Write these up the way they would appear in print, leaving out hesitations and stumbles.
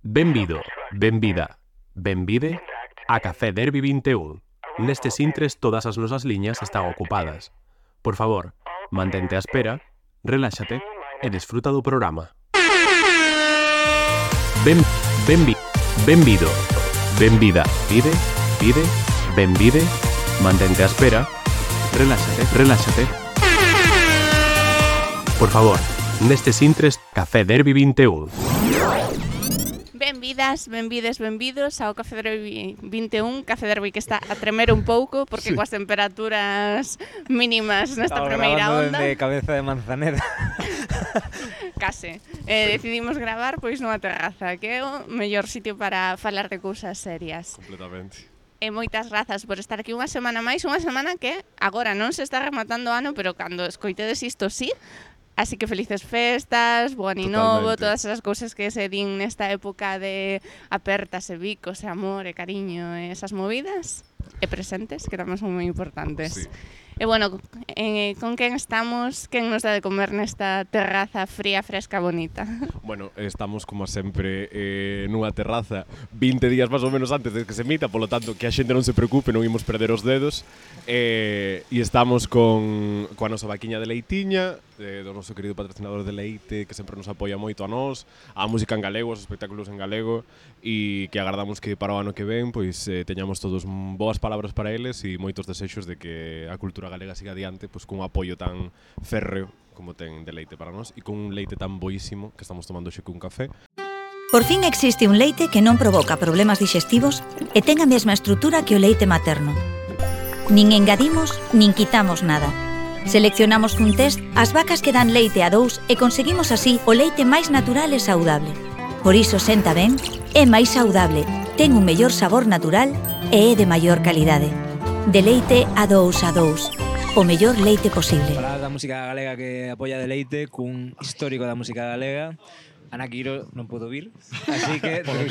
Benvido, benvida, benvide a Café Derby 21. Nestes intres todas as nosas liñas están ocupadas. Por favor, mantente á espera, reláxate e desfruta do programa. Benvido, benvida, benvide, mantente á espera, reláxate. Por favor, nestes intres Café Derby 21. Benvidas, benvidos ao Café Derby 21, Café Derby que está a tremer un pouco porque coas temperaturas mínimas nesta primeira onda. De cabeza de Manzaneda. Case. Decidimos gravar pois nunha terraza, que é o mellor sitio para falar de cousas serias. Completamente. E moitas grazas por estar aquí unha semana máis, unha semana que agora non se está rematando o ano, pero cando escoitedes isto sí. Así que felices festas, bo ano novo, todas esas cousas que se din nesta época de apertas e bicos e amor e cariño e esas movidas e presentes, que tamén son moi importantes. Sí. E bueno, con quen estamos? Quen nos dá de comer nesta terraza fría, fresca, bonita? Bueno, estamos como sempre nunha terraza 20 días máis ou menos antes de que se emita, polo tanto que a xente non se preocupe, non imos perder os dedos. E estamos coa nosa vaquiña de leitiña, do noso querido patrocinador de leite, que sempre nos apoia moito a nós, a música en galego, os espectáculos en galego, e que agardamos que para o ano que ven pois teñamos todos boas palabras para eles e moitos desexos de que a cultura galega siga adiante pois cun apoio tan férreo como ten de leite para nós e con un leite tan boísimo que estamos tomando xe cun café. Por fin existe un leite que non provoca problemas digestivos e ten a mesma estrutura que o leite materno. Nin engadimos, nin quitamos nada. Seleccionamos cun test as vacas que dan leite a dous e conseguimos así o leite máis natural e saudable. Por iso senta ben, é máis saudable, ten un mellor sabor natural e é de maior calidade. De leite a dous, o mellor leite posible. Falar da música galega que apoia de leite cun histórico da música galega. Ana Quiro non pudo vir, así que por lo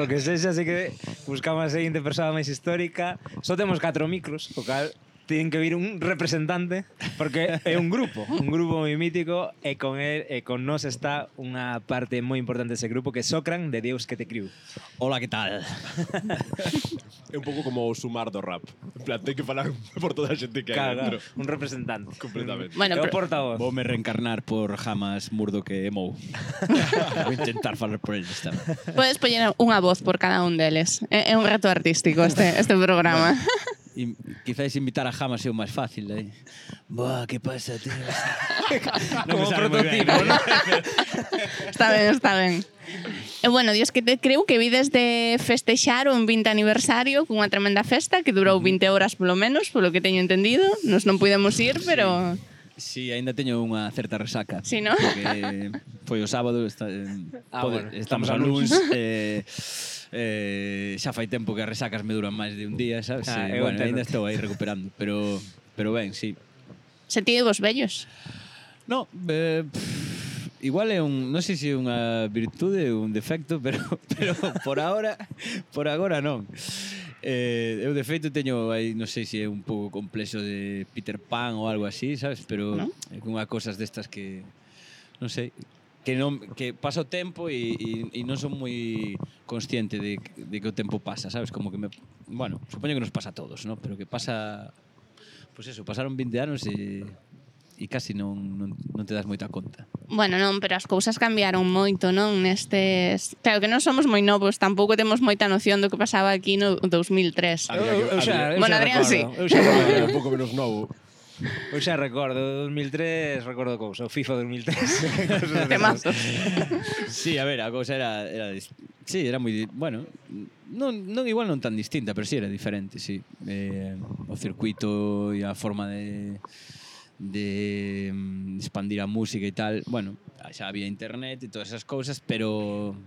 que sexa, así que buscamos a seguinte persoa máis histórica. Só temos 4 micros, o cal ten que vir un representante, porque é un grupo moi mítico, e con él e con nós está unha parte moi importante dese grupo, que é Socran, de Deus que te criou. Hola, que tal? É un pouco como o sumar do rap. En plan, ten que falar por toda a xente que hai dentro. Un representante. Completamente. Bueno, É o portavoz. Voume reencarnar por Jamas Murdoch e Mou. Vou intentar falar por eles tamén. Podes poñer unha voz por cada un deles. É un reto artístico este programa. E quizáis invitar a Jamas é o máis fácil, eh? Buah, que pasa, tío? Como prototipo, ¿no? Está ben. E bueno, Dios que te creo que vides de festexar un 20 aniversario cunha tremenda festa que durou 20 horas polo menos, polo que teño entendido. Nos non pudemos ir, pero... Sí, ainda teño unha certa resaca. Sí, ¿no? Porque foi o sábado, bueno, estamos a luns, xa fai tempo que as resacas me duran máis de un día, sabes? Bueno, ainda estou aí recuperando, pero ben, sí. Sentídevos vellos? No, igual é non sei se é unha virtude ou un defecto, pero por agora non. Eu de feito teño aí, non sei se é un pouco complexo de Peter Pan ou algo así, sabes? Pero ¿no? É unha cosas destas que non sei, que pasa o tempo e non son moi consciente de que o tempo pasa, sabes? Como que bueno, supoño que nos pasa a todos, ¿no? Pero que pasa, pues eso, pasaron 20 anos e casi non te das moita conta. Bueno, non, pero as cousas cambiaron moito, non? Nestes... Claro que non somos moi novos, tampouco temos moita noción do que pasaba aquí no 2003. Bueno, Adrián sí. Eu xa Era un pouco menos novo. Eu xa recordo, 2003, recordo cousa, o FIFA 2003. Temazos. Sí, a ver, a cousa era sí, era moi, bueno, non igual non tan distinta, pero sí era diferente, sí. O circuito e a forma de expandir a música e tal, bueno, xa había internet e todas esas cousas, pero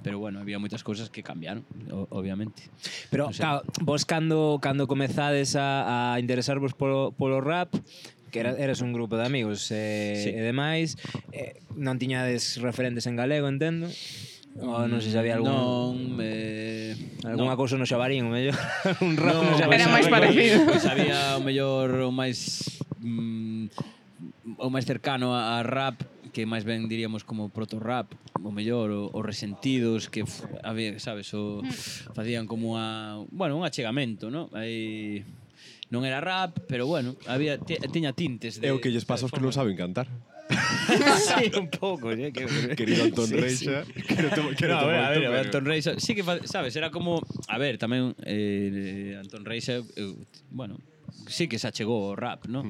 bueno, había moitas cousas que cambiaron, obviamente. Pero, no sé. claro, vos cando comezades a interesarvos polo rap, que eres un grupo de amigos Sí. e demais, non tiñades referentes en galego, entendo? Ou non sei se había algún... Alguna cousa no Xabarín, o mellor. Un rap no Xabarín. Era máis parecido. Pois había o mellor o máis cercano a rap, que máis ben diríamos como proto-rap, o mellor, o Resentidos, que había, sabes, facían como un achegamento, ¿no? Aí non era rap, pero bueno, tiña tintes de... É o que lles pasa aos que non saben cantar. Sí, un pouco, Querido Antón Reixa. No, a ver, Antón Reixa, sí que, sabes, era como, a ver, tamén Antón Reixa, bueno, sí que se achegou ao rap, ¿no?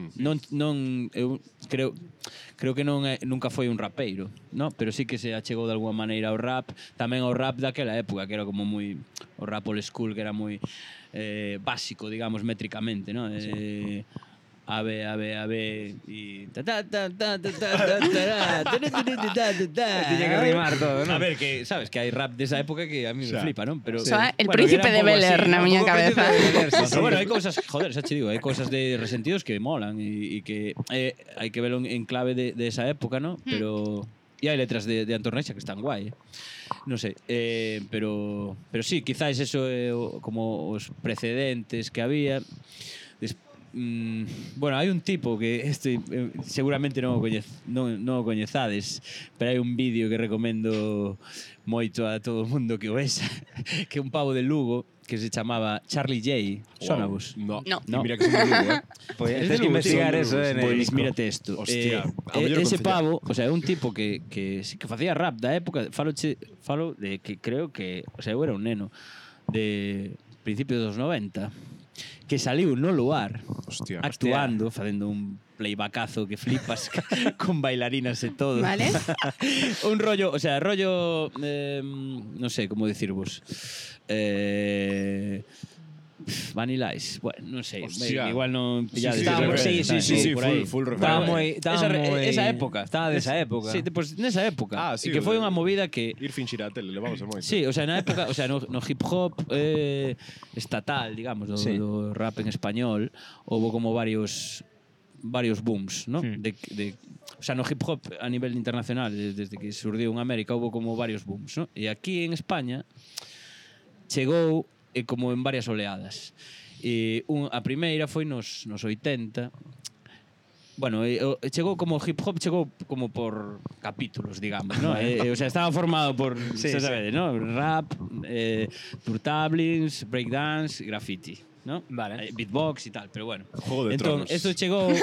Eu creo que nunca foi un rapeiro, ¿no? Pero sí que se achegou de alguma maneira ao rap, tamén ao rap daquela época, que era como moi o rap old school, que era moi básico, digamos, métricamente, ¿no? Sí. A ver, y Tiña que rimar todo, ¿no? A ver, que sabes que hai rap desa época que a mí me flipa, ¿no? Pero el príncipe de Bel-Air na miña cabeza. Pero bueno, hai cousas, joder, xa che digo, hai cousas de Resentidos que molan e que hai que verlo en clave de esa época, ¿no? Pero e hai letras de Antón Reixa que están guai, non sei, pero sí, quizás eso como os precedentes que había. Bueno, hai un tipo que seguramente non o coñezades, pero hai un vídeo que recomendo moito a todo o mundo que o vexa, que é un pavo de Lugo que se chamaba Charlie J. Sonabos? No. Mira que son de Lugo, Pois tens que investigar eso en el disco. Mírate isto. Hostia, ese pavo, o sea, é un tipo que facía rap da época, falo de que creo que, o sea, eu era un neno de principios dos 90, que saliu no lugar, hostia, actuando, facendo un playbackazo que flipas con bailarinas e todo. Vale. Un rollo, o sea, non sei como dicirvos. Vanilla Ice, bueno, non sei, igual non pillades. Sí, full referente. Esa época. Estaba desa época. Sí, pues nesa época. Sí, que foi unha movida que ir finxir a tele, levamos a moito. Sí, o sea, na época, o sea, no hip hop estatal, digamos, do rap en español, houve como varios booms, ¿no? O sea, no hip hop a nivel internacional, desde que surdiu en América, houve como varios booms, ¿no? E aquí en España chegou como en varias oleadas. A primeira foi nos 80. Bueno, chegou como hip hop, chegou como por capítulos, digamos, ¿no? O sea, estaba formado por, sabes, ¿no? Rap, turtablings, breakdance, graffiti, ¿no? Vale. Beatbox e tal, pero bueno. Juego de Tronos. Esto chegou...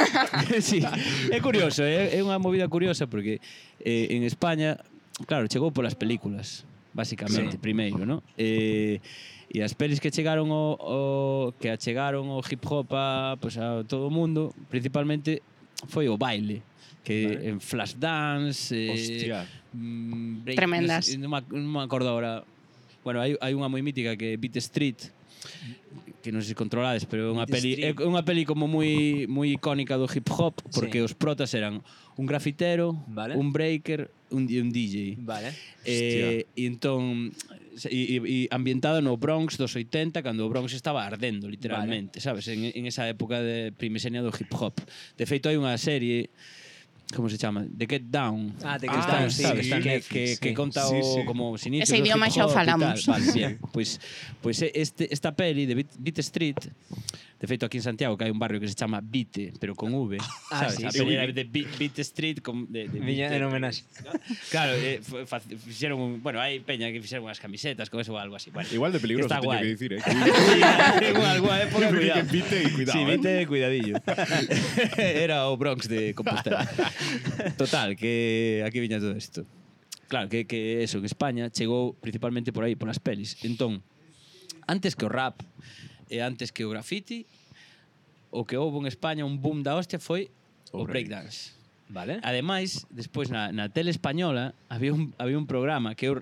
Sí, é curioso, é unha movida curiosa porque en España, claro, chegou polas películas, basicamente, primeiro, ¿no? E as pelis que chegaron ao hip hop a todo o mundo, principalmente foi o baile, que en Flashdance, tremendas. Non me acordo agora. Bueno, hai unha moi mítica que é Beat Street, que non sei se controlades, pero é unha peli como moi icónica do hip hop, porque os protas eran un grafitero, un breaker e un DJ. Vale. E entón ambientado no Bronx dos 80, cando o Bronx estaba ardendo, literalmente, sabes? En esa época de primesenia do hip hop. De feito, hai unha serie, como se chama? The Get Down. The Get Down, sabes? Que conta como os inicios ese do idioma hip xa o hop falamos. Vale, bien. Pois esta peli de Beat Street, de feito aquí en Santiago que hai un barrio que se chama Vite, pero con V, sabes? Sí, a peli era de Beat Street de Viña en homenaxe. Claro, fixeron bueno, hai peña que fixeron unhas camisetas con eso ou algo así. Bueno, igual de peligroso, teño que dicir, en alguna época, cuidado. Vite e cuidado. Sí, Vite, cuidadillo. Era o Bronx de Compostela. Total, que aquí viña todo isto. Claro, que eso, en España chegou principalmente por aí, polas pelis. Entón, antes que o rap e antes que o graffiti, o que houve en España un boom da hostia foi o breakdance. Vale. Ademais, despois na tele española había un programa que eu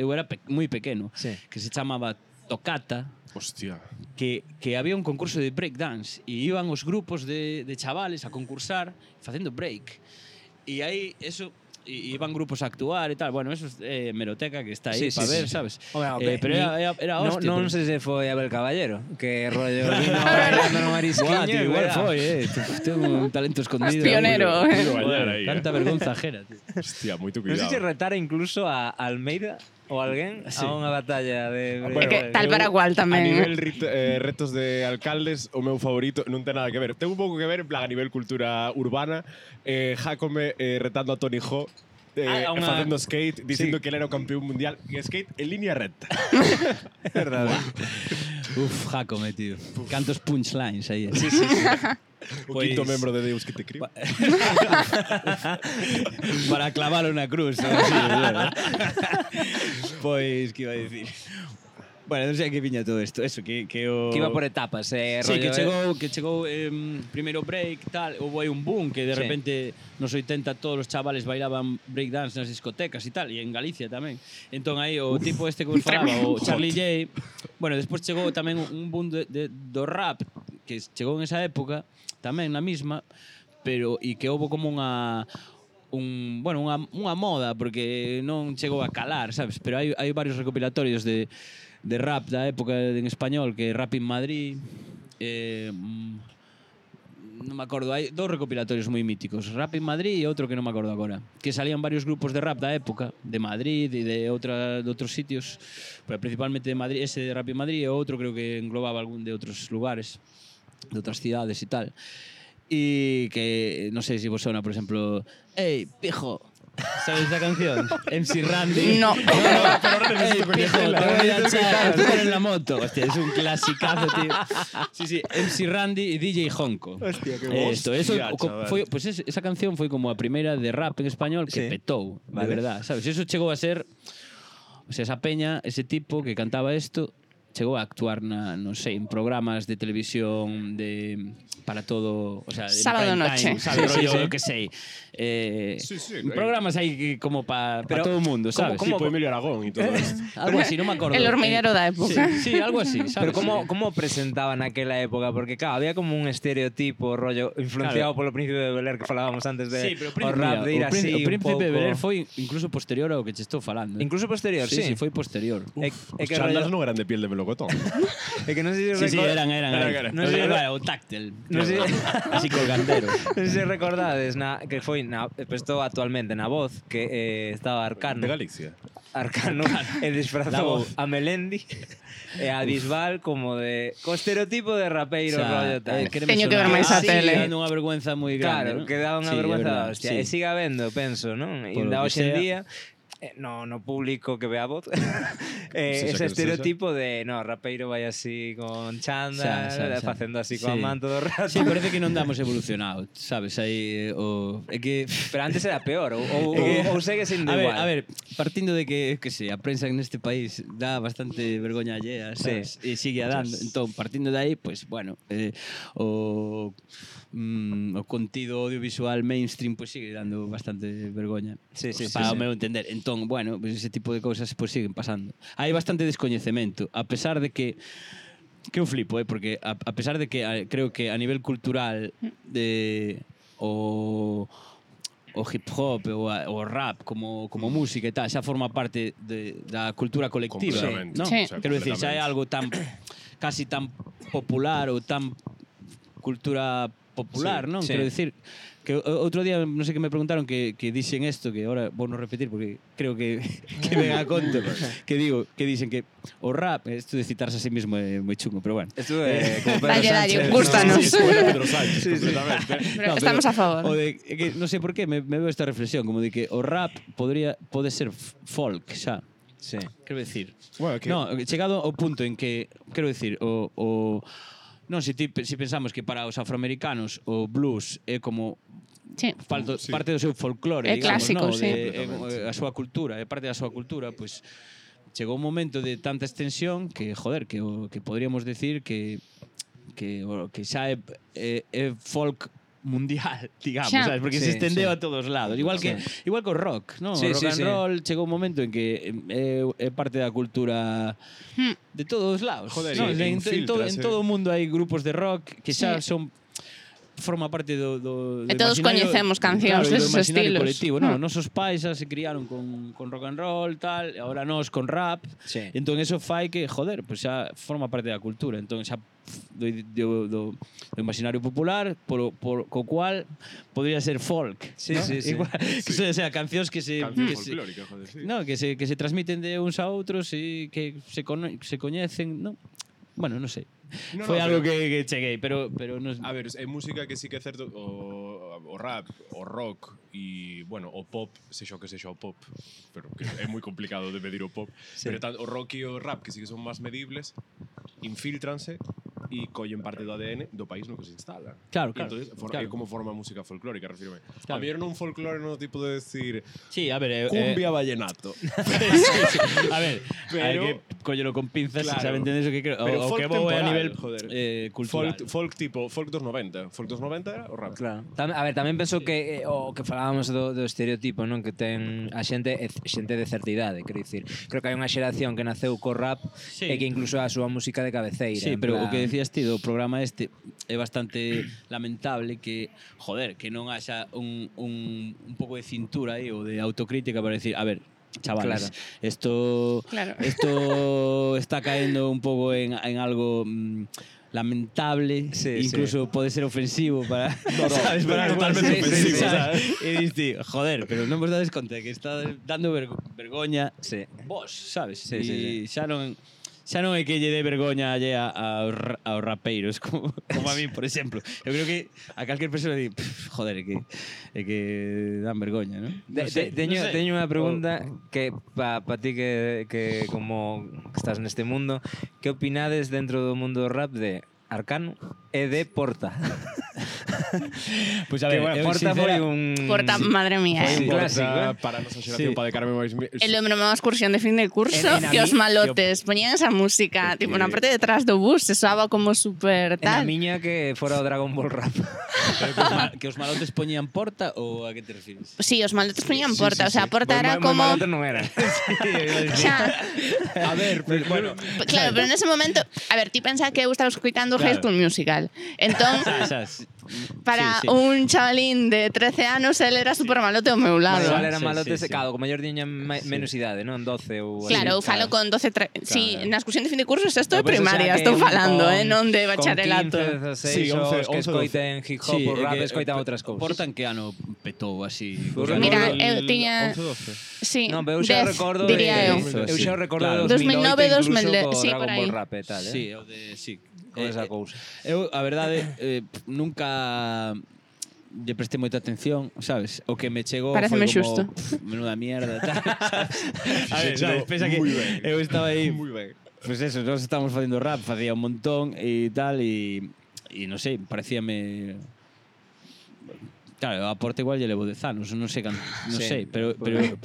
era moi pequeno, que se chamaba Tocata. Hostia. Que había un concurso de breakdance e iban os grupos de chavales a concursar facendo break. E aí eso iban grupos a actuar e tal. Bueno, eso é meroteca que está aí para ver, sabes? Pero era hostia. Non sei se foi Abel Caballero, que rollo vino bailando no marisquiño. Igual foi, ten un talento escondido. Pionero. Tanta vergonza ajena, tío. Hostia, moito Non cuidado. sei se retara incluso a Almeida ou alguén a unha batalla de... Bueno, que tal para cual tamén. A nivel retos de alcaldes, o meu favorito non ten nada que ver. Ten un pouco que ver, en plan, a nivel cultura urbana, Jácome retando a Tony Hawk, facendo skate, dicindo que ele era o campeón mundial en skate en línea recta. É verdade. Uf, Jácome, tío. Cantos punchlines aí. Sí. O quinto membro de Deus que te criou. Para clavalo na cruz. Pois, que iba a dicir? Bueno, non sei que viña todo isto. Eso, que o... Que iba por etapas, Sí, rollo, que chegou primeiro break, tal, houve aí un boom que de Sí. repente nos 80 todos os chavales bailaban breakdance nas discotecas e tal, e en Galicia tamén. Entón aí o tipo este que vos falaba, o Charlie J, bueno, despois chegou tamén un boom do rap que chegou en esa época, tamén na mesma, pero e que houve como unha moda porque non chegou a calar, sabes? Pero hai varios recopilatorios de rap da época en español, que Rap in Madrid, non me acordo, hai dous recopilatorios moi míticos, Rap in Madrid e outro que non me acordo agora, que salían varios grupos de rap da época, de Madrid e de outros sitios, pero principalmente de Madrid, ese de Rap in Madrid e outro creo que englobaba algún de outros lugares, de outras cidades e tal. E que, non sei se vos sona, por exemplo, Ey, pijo, ¿sabes esa canción? MC Randy. No. Ey, pijo, te voy a echar en la moto. Hostia, es un clasicazo, tío. Sí, MC Randy y DJ Honko. Hostia, qué Esto, eso hostia, chaval. foi, pues esa canción foi como a primeira de rap en español que Sí. petou, Vale. de verdad, sabes? Eso chegou a ser, o sea, esa peña, ese tipo que cantaba isto, chegou a actuar non sei, en programas de televisión para todo, o sea, de Sábado prime noche. time, sabes, Sí, rollo, sí. eu que sei. Sí, Programas aí como para Pero, todo o mundo, sabes? Tipo Emilio Aragón y todo esto. Algo así, non me acordo. El hormiguero da época. Sí, algo así, sabes? Pero como presentaban naquela época? Porque, claro, había como un estereotipo, rollo, influenciado polo Príncipe de Bel-Air que falábamos antes de Sí, pero o rap de ir así o un Príncipe de pouco. Bel-Air foi incluso posterior ao que che estou falando. Incluso posterior, sí. Sí, foi posterior. É Os que chandals rollo, non eran de piel de melocotón. é que non sei se Sí, eran. Non sei, Era o táctil. Non sei, Así colgandero. non sei se recordades que foi pues todo actualmente na Voz que estaba Arcano. De Galicia. Arcano e La disfrazou Voz. a Melendi e a Bisbal como de co estereotipo de rapeiro rollo tal. Teño que ver máis a tele. Dando unha vergüenza moi grande, Claro, ¿no? que daba unha Sí, vergüenza é da verdad, hostia. sí. E siga habendo, penso, non? E Polo ainda que hoxe en sea. día no público que ve a Voz Sexa ese quen estereotipo de rapeiro vai así con chándal, Xa. facendo así Sí. coa man todo o rato. Sí, parece que non damos evolucionado, sabes? Aí é que Pero antes era peor, ou segue sendo a igual. ver, partindo de que sei, a prensa neste país dá bastante vergoña allea, sabes? E sigue a dando. Entón, partindo de aí, pues bueno, o contido audiovisual mainstream pues sigue dando bastante vergoña. Sí, Para o meu entender. Entón, bueno, pues ese tipo de cousas pues siguen pasando. Hai bastante descoñecemento, a pesar de que eu flipo, porque a pesar de que creo que a nivel cultural o hip hop o rap como música e tal xa forma parte da cultura colectiva, Completamente. ¿no? Sí. Quero decir, xa é algo tan casi tan popular ou tan cultura popular, Sí, non? sí. Quero decir que outro día, non sei que me preguntaron que dixen isto, que ahora vou non repetir porque creo que ven a conto, que dicen que o rap, isto de citarse a sí mismo é moi chungo, pero bueno. Esto é como Pedro Dalle, Sánchez, gústanos. ¿no? Sí, era Pedro Sánchez, completamente. Pero estamos a favor. O de, que non sei por qué me veo esta reflexión, como de que o rap pode ser folk, xa. Sí. Quero decir, Bueno, que... no, chegado ao punto en que, quero decir, non, se pensamos que para os afroamericanos o blues é como Sí. parte do seu folclore, É digamos, clásico, no? sí. A súa cultura, é parte da súa cultura, pois chegou un momento de tanta extensión que, joder, que poderíamos decir que xa é folk mundial, digamos, Xa. sabes? Porque Sí, se estendeu sí. a todos lados. Igual que o rock, ¿no? Sí, O rock sí, and sí. roll chegou un momento en que é parte da cultura de todos os lados. Joder, ¿no? e En todo infiltrase. o mundo hai grupos de rock que xa Sí. son forma parte do E todos imaginario, coñecemos cancións claro, do deses imaginario estilos. colectivo, no, nosos pais xa se criaron con rock and roll, tal, e agora nós con rap. Sí. Entón eso fai que, joder, pues xa forma parte da cultura. Entón xa do imaginario popular co cual podría ser folk. Sí, ¿no? sí, sí. Igual, que sea cancións que se Canción que se- folclórica, joder, sí. no, que se transmiten de uns a outros e que se coñecen, no? Bueno, non sei. No, Foi no, algo pero- que cheguei, pero non... A ver, é música que sí que é certo o rap, o rock e, bueno, o pop, sexa o que sexa o pop, pero que é moi complicado de medir o pop, pero o rock e o rap, que sí que son máis medibles, infiltranse e collen parte do ADN do país no que se instala. Claro, E claro, entonces, claro. é como forma música folclórica, refírome. Claro. A mellor non folclore no tipo de decir Sí, a ver, cumbia vallenato. a ver, Pero- hai que collelo con pinzas, Claro. sabe entendes o que creo. Pero O folk que vou é a temporal, nivel joder. cultural. Folk dos 90. Folk dos 90 era o rap. Claro. A ver, tamén penso que o que falábamos do estereotipo, non, que ten a xente de certa idade, quero dicir. Creo que hai unha xeración que naceu co rap Sí. e que incluso é a súa música de cabeceira. Sí, en pero plan- o que decías ti do programa este é bastante lamentable que, joder, que non haxa un pouco de cintura aí ou de autocrítica para decir, a ver, chavales, Claro. esto Claro. está caendo un pouco en algo lamentable, Sí, incluso pode ser ofensivo para, sabes, no, para totalmente alguén, ofensivo, sabes? E diste, joder, pero non vos dades conta de que está dando vergoña Sí. vos, sabes? Sí, E sí, xa non é que lle dé vergoña allea aos rapeiros como a mí, por exemplo. Eu creo que a calquer persona di, joder, é que dan vergoña, ¿no? Teño unha pregunta que pa ti que como que estás neste mundo, que opinades dentro do mundo do rap de Arcano e de Porta? Pois a ver, eu Porta foi un... Porta, madre mía, Foi un clásico, Porta, para a nosa xeración, Sí. para dedicarme máis... El hombre má excursión de fin de curso En que a os mi- malotes poñían esa música, tipo, na parte de atrás do bus, se soaba como super En a tal. miña que fora o Dragon Ball Rap. Pero que os malotes poñían porta ou a que te refires? Sí, os malotes poñían Porta, o sea, Porta era Moi como... malotes non era. Xa, A ver, pero, bueno, claro, pero nese momento, a ver, ti pensa que eu estaba escoitando Claro. High School Musical. Entón, para sí. un chavalín de 13 anos, él era super malote ao meu lado. Igual eran Sí, malotes, sí, sí. claro, como mellor tiñan menos idade, non? 12 ou... Claro, eu así, falo con 12... Sí, na excursión de fin de curso, isto de Pero, pues, o sea, primaria, que estou falando, con- non de bachillerato. Con 15, 16, Sí, 11, os que 11, escoiten hip hop ou rap, escoitan outras cousas. Porta en que ano petou así? Pues Mira, no, eu tiña... 11-12. Sí, Non, pero eu xa 10, recordo diría eu. eu xa recordo Claro. de 2009, 2009, 2010, sí, Dragon por aí. Ball Rap e tal, Sí, o de sí. Con esa cousa. Eu, a verdade, nunca lle prestei moita atención, sabes? O que me chegou Paréceme foi como xusto. menuda mierda, tal. A ver, chegou sabes, pensa que moi ben. eu estaba aí, Moi ben. pues eso, nós estábamos facendo rap, facía un montón e tal e non sei, parecíame claro, a Porta igual lle levo 10 anos, non sei, non Sí. sei, pero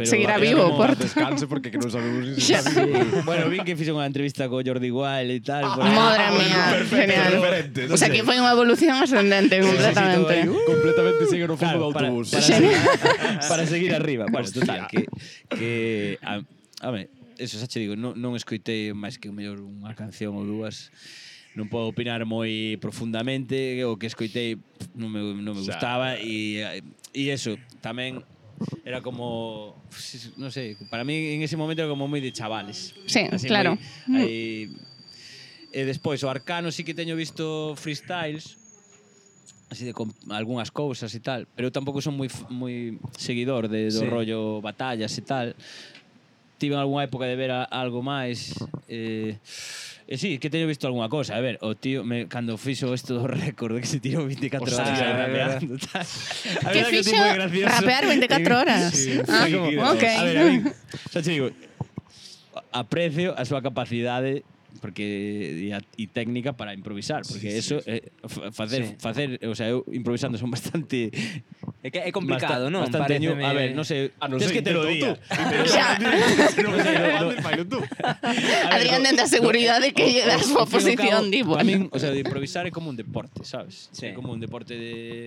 Seguirá era vivo, como- Porta. Descanse porque que non sabemos si Xa. está vivo. Bueno, vi que fixo unha entrevista co Jordi Wild e tal, por aí. Madre mía, genial. referente, O sea, que foi unha evolución ascendente completamente. Completamente sigue no fondo do Claro, autobús. para seguir arriba. Bueno, total, que a ver, eso xa che digo, non escoitei máis que o mellor unha canción ou dúas. Non podo opinar moi profundamente, o que escoitei non me Xa. gustaba e eso, tamén era como, non sei, para mí en ese momento era como moi de chavales. Sí, Así claro. Aí, e despois o Arcano sí que teño visto freestyles, así de con algunhas cousas e tal, pero eu tampouco son moi seguidor do Sí. rollo batallas e tal. Tive algunha época de ver algo máis sí, que teño visto algunha cosa. A ver, o tío cando fixo isto do récord de que se tirou 24 Hostia, horas é rapeando tal. A Que verdade fixo? o tipo é gracioso. Rapear 24 horas. Sí, Ah, foi como- ok. A ver, a mí, xa te digo, aprecio a súa capacidade porque e técnica para improvisar, porque eso facer, o sea, eu improvisando son bastante É que é complicado, non? Bastante Paréceme- a ver, non sei, non tens sei, que te lo intento diga. Xa. Adrián dende a seguridade que lle das súa posición, di, bueno. Tamén, o sea, de improvisar é como un deporte, sabes? Sí. É como un deporte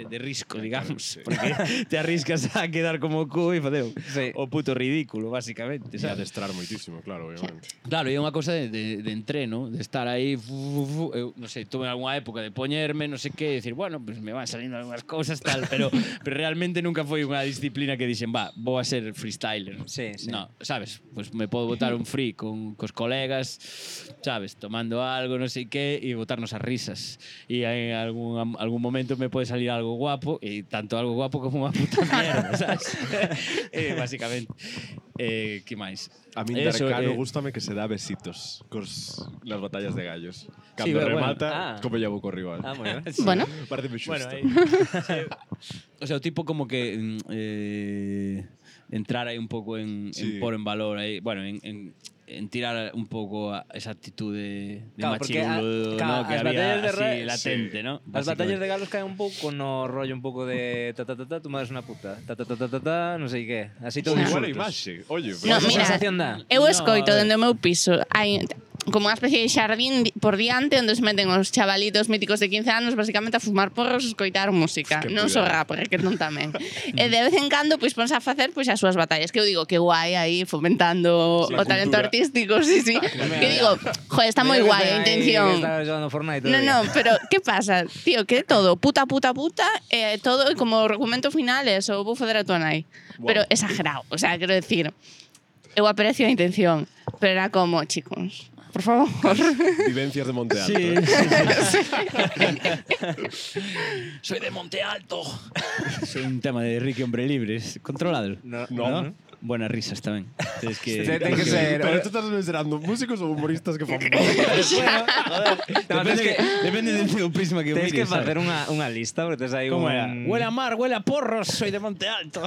de risco, digamos, porque te arriscas a quedar como o cu e fadeu Sí. o puto ridículo, basicamente, E sabes? adestrar moitísimo, claro, obviamente. Claro, e é unha cousa de entreno, de estar aí, eu non sei, tuve algunha época de poñerme, non sei que, decir, bueno, pues me van salindo algunhas cousas tal, pero realmente nunca foi unha disciplina que dixen, va, vou a ser freestyler. Sí, sí. No, sabes, pues me podo botar un free cos colegas, sabes, tomando algo, non sei que, e botarnos as risas. E en algún momento me pode salir algo guapo, e tanto algo guapo como unha puta mierda, sabes? Básicamente. Que máis? A min Eso, Darcano gústame que se dá besitos nas batallas de gallos. Cando bueno, remata, ah. como lle vou co rival. Ah, moi ben. Bueno, Pareceme xusto. Bueno, aí, o sea, o tipo como que entrar aí un pouco en pôr en valor aí, bueno, en tirar un pouco esa actitude de Claro, porque machirulo, claro, ¿no? Que as había batallas de así sí. latente, ¿no? As batallas de galos caen un pouco no rollo un pouco de tú me das unha puta, non sei que. Así todo Igual a insultos. imaxe. Oye, No, Esa mira, sensación dá. eu No, escoito a ver. dende o meu piso. Hai como unha especie de xardín por diante onde se meten os chavalitos míticos de 15 anos basicamente a fumar porros e escoitar música. Que Non só cuidado. rap, porque non tamén. E de vez en cando pois ponse a facer pois as súas batallas, que eu digo que guai aí fomentando Sí, o talento cultura. artístico, sí, sí. Que digo, joder, está moi Mira que guai a ten aí intención. que está jugando Fortnite todo No, el día. no, pero ¿qué pasa? Tío, que todo, puta, todo, como argumento final é eso, vou foder a tua nai. Pero exagerado, o sea, quero decir, eu aprecio a intención, pero era como, chicos, por favor. Vivencias de Monte Alto. Sí, ¿eh? Soy de Monte Alto. Soy un tema de Ricky Hombre Libre. Controlado. No. Buenas risas tamén. Tens que... Ten que ser. Pero tú estás mencionando músicos ou humoristas que fan No, Depende do prisma que o Tens que mires, facer sabes? unha lista, porque tes aí Como un... era? Huele a mar, huele a porros, soy de Monte Alto.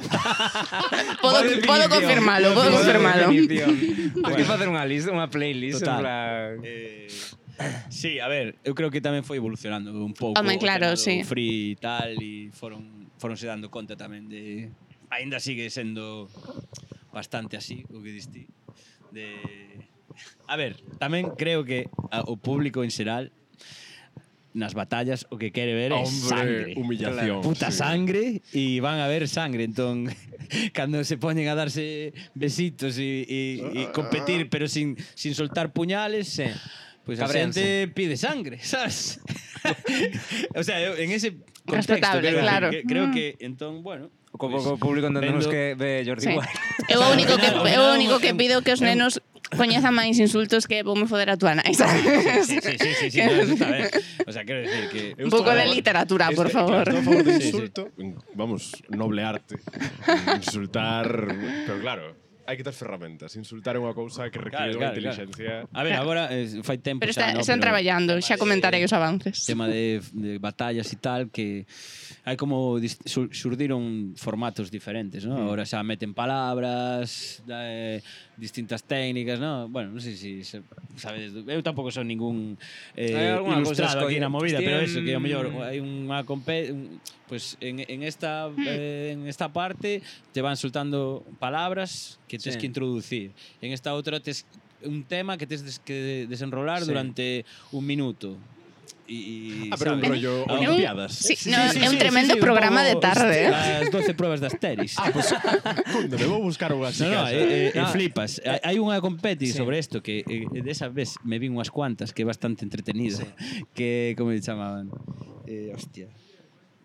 Puedo confirmarlo, puedo confirmarlo. Tens que facer unha lista, unha playlist. Total. En plan... Sí, a ver, eu creo que tamén foi evolucionando un pouco. Home, claro, o tema do sí. Free e tal, e foronse dando conta tamén de... Ainda sigue sendo bastante así, o que diste. A ver, tamén creo que o público en xeral nas batallas o que quere ver é sangre. humillación. Puta sí. sangre e van a ver sangre, entón cando se poñen a darse besitos e competir pero sin soltar puñales, Sí. pues a Cabrense. xente pide sangre, sabes? O sea, eu en ese contexto Respetable, quero decir claro. que creo que entón, bueno, Co pues, público entendemos vendo- que ve Jordi Sí. Wild. Eu o único que Claro, pido que os nenos coñezan máis insultos que voume foder a tua nai, sabes? Sí, no, eso está ben. O sea, quero decir que Un pouco de literatura, por favor. Claro, estou a favor de Sí, sí. insulto. Vamos, noble arte. Insultar... Pero claro, hai que ter ferramentas. Insultar é unha cousa que require unha inteligencia... A ver, agora fai tempo Pero xa, no, están pero traballando, xa comentarei os avances. tema de batallas e tal, que hai como surdiron formatos diferentes, ¿no? Ahora xa meten palabras, distintas técnicas, ¿no? Bueno, non sei se sabedes, eu tampouco son ningún Hai algunha cousa ilustrado aquí na movida, pero eso, que ao mellor hai unha pues en esta parte te van soltando palabras que tens Sí. que introducir. En esta outra tes un tema que tens que desenrolar durante un minuto. pero un ¿sabes? rollo É un- olimpiadas. Sí, no, é un tremendo programa de tarde. As 12 pruebas de Asteris. Cunde, me vou buscar unha así. Flipas. Hai unha competi Sí. sobre isto que desa vez me vi unhas cuantas que é bastante entretenida. Que, como se chamaban? Hostia.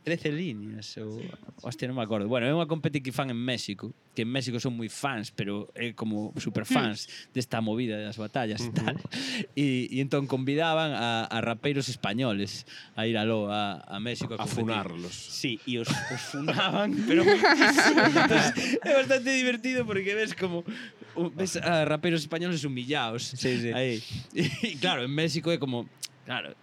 13 líneas ou... Hostia, non me acordo. Bueno, é unha competi que fan en México, que en México son moi fans, pero é como super fans desta movida das batallas e tal. E entón convidaban a rapeiros españoles a ir aló a México A competir. funarlos. Sí, e os funaban, pero moitísimo. Entonces, é bastante divertido porque ves como ves a raperos españoles humillados. Sí, sí. Aí. E claro, en México é como, claro,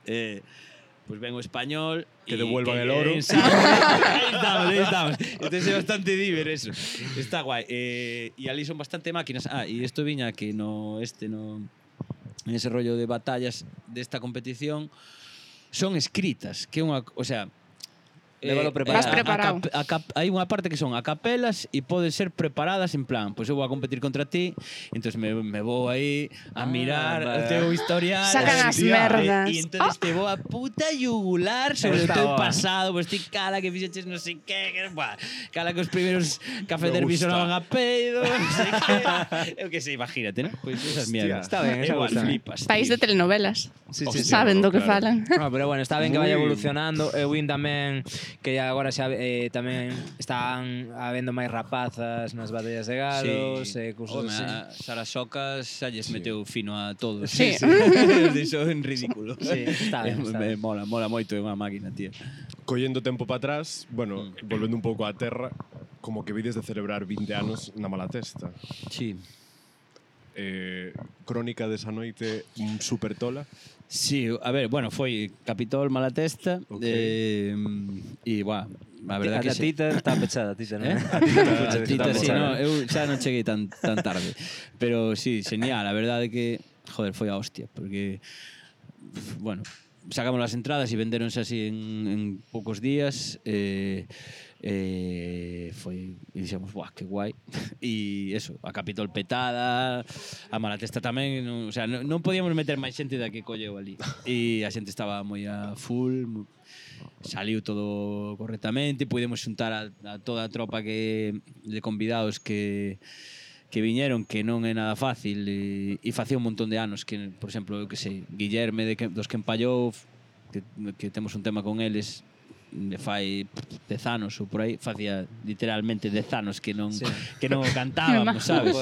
pues ven o español Que devuelvan el oro. Ahí estamos. Entonces é bastante diver eso. Está guai. E ali son bastante máquinas. E isto viña que en ese rollo de batallas desta competición son escritas, que é unha, o sea, lévalo Vas preparado. preparado. Hai unha parte que son a capelas e poden ser preparadas en plan, pois eu vou a competir contra ti, entón me vou aí a mirar o teu historial. Sacan as merdas. E entón te vou a puta yugular sobre o Está teu boa. pasado, pois ti cala que fixeches non sei que, cala que os primeiros Café Derby sonaban a peido, non sei que. Eu que sei, imagínate, ¿no? Pois esas mierdas. Está ben, esa Igual gusta. flipas. País de tío. telenovelas. Sí, Saben do que claro. falan. No, pero bueno, está ben que vaya Muy- evolucionando. Eu vin tamén que agora xa tamén están habendo máis rapazas nas batallas de galos, cousas Home, así. a Sara Socas xa lles meteu fino a todos. Sí. Deixou en ridículo. Sí, está ben, está ben. Mola moito, é unha máquina, tío. Collendo tempo para atrás, bueno, volvendo un pouco á terra, como que vides de celebrar 20 anos na Malatesta. Sí. Crónica desa noite super tola. Sí, a ver, bueno, foi Capitol Malatesta Ok. e, a verdad A que sí. tita está pechada, a tita, non? A tita, sí, pechada. no, eu xa non cheguei tan tarde. Pero sí, genial, a verdade que, joder, foi a hostia, porque, bueno, sacamos as entradas e vendéronse así en poucos días, foi, e dixemos, buah, que guai. E eso, a Capitol petada, a Malatesta tamén, non, o sea, non podíamos meter máis xente da que colleu ali. E a xente estaba moi a full, saliu todo correctamente, pudemos xuntar a toda a tropa de convidados que viñeron, que non é nada fácil, e facía un montón de anos que, por exemplo, eu que sei, Guillerme dos que empallou, que temos un tema con eles, de fai 10 anos ou por aí, facía literalmente 10 anos que non o cantábamos, sabes?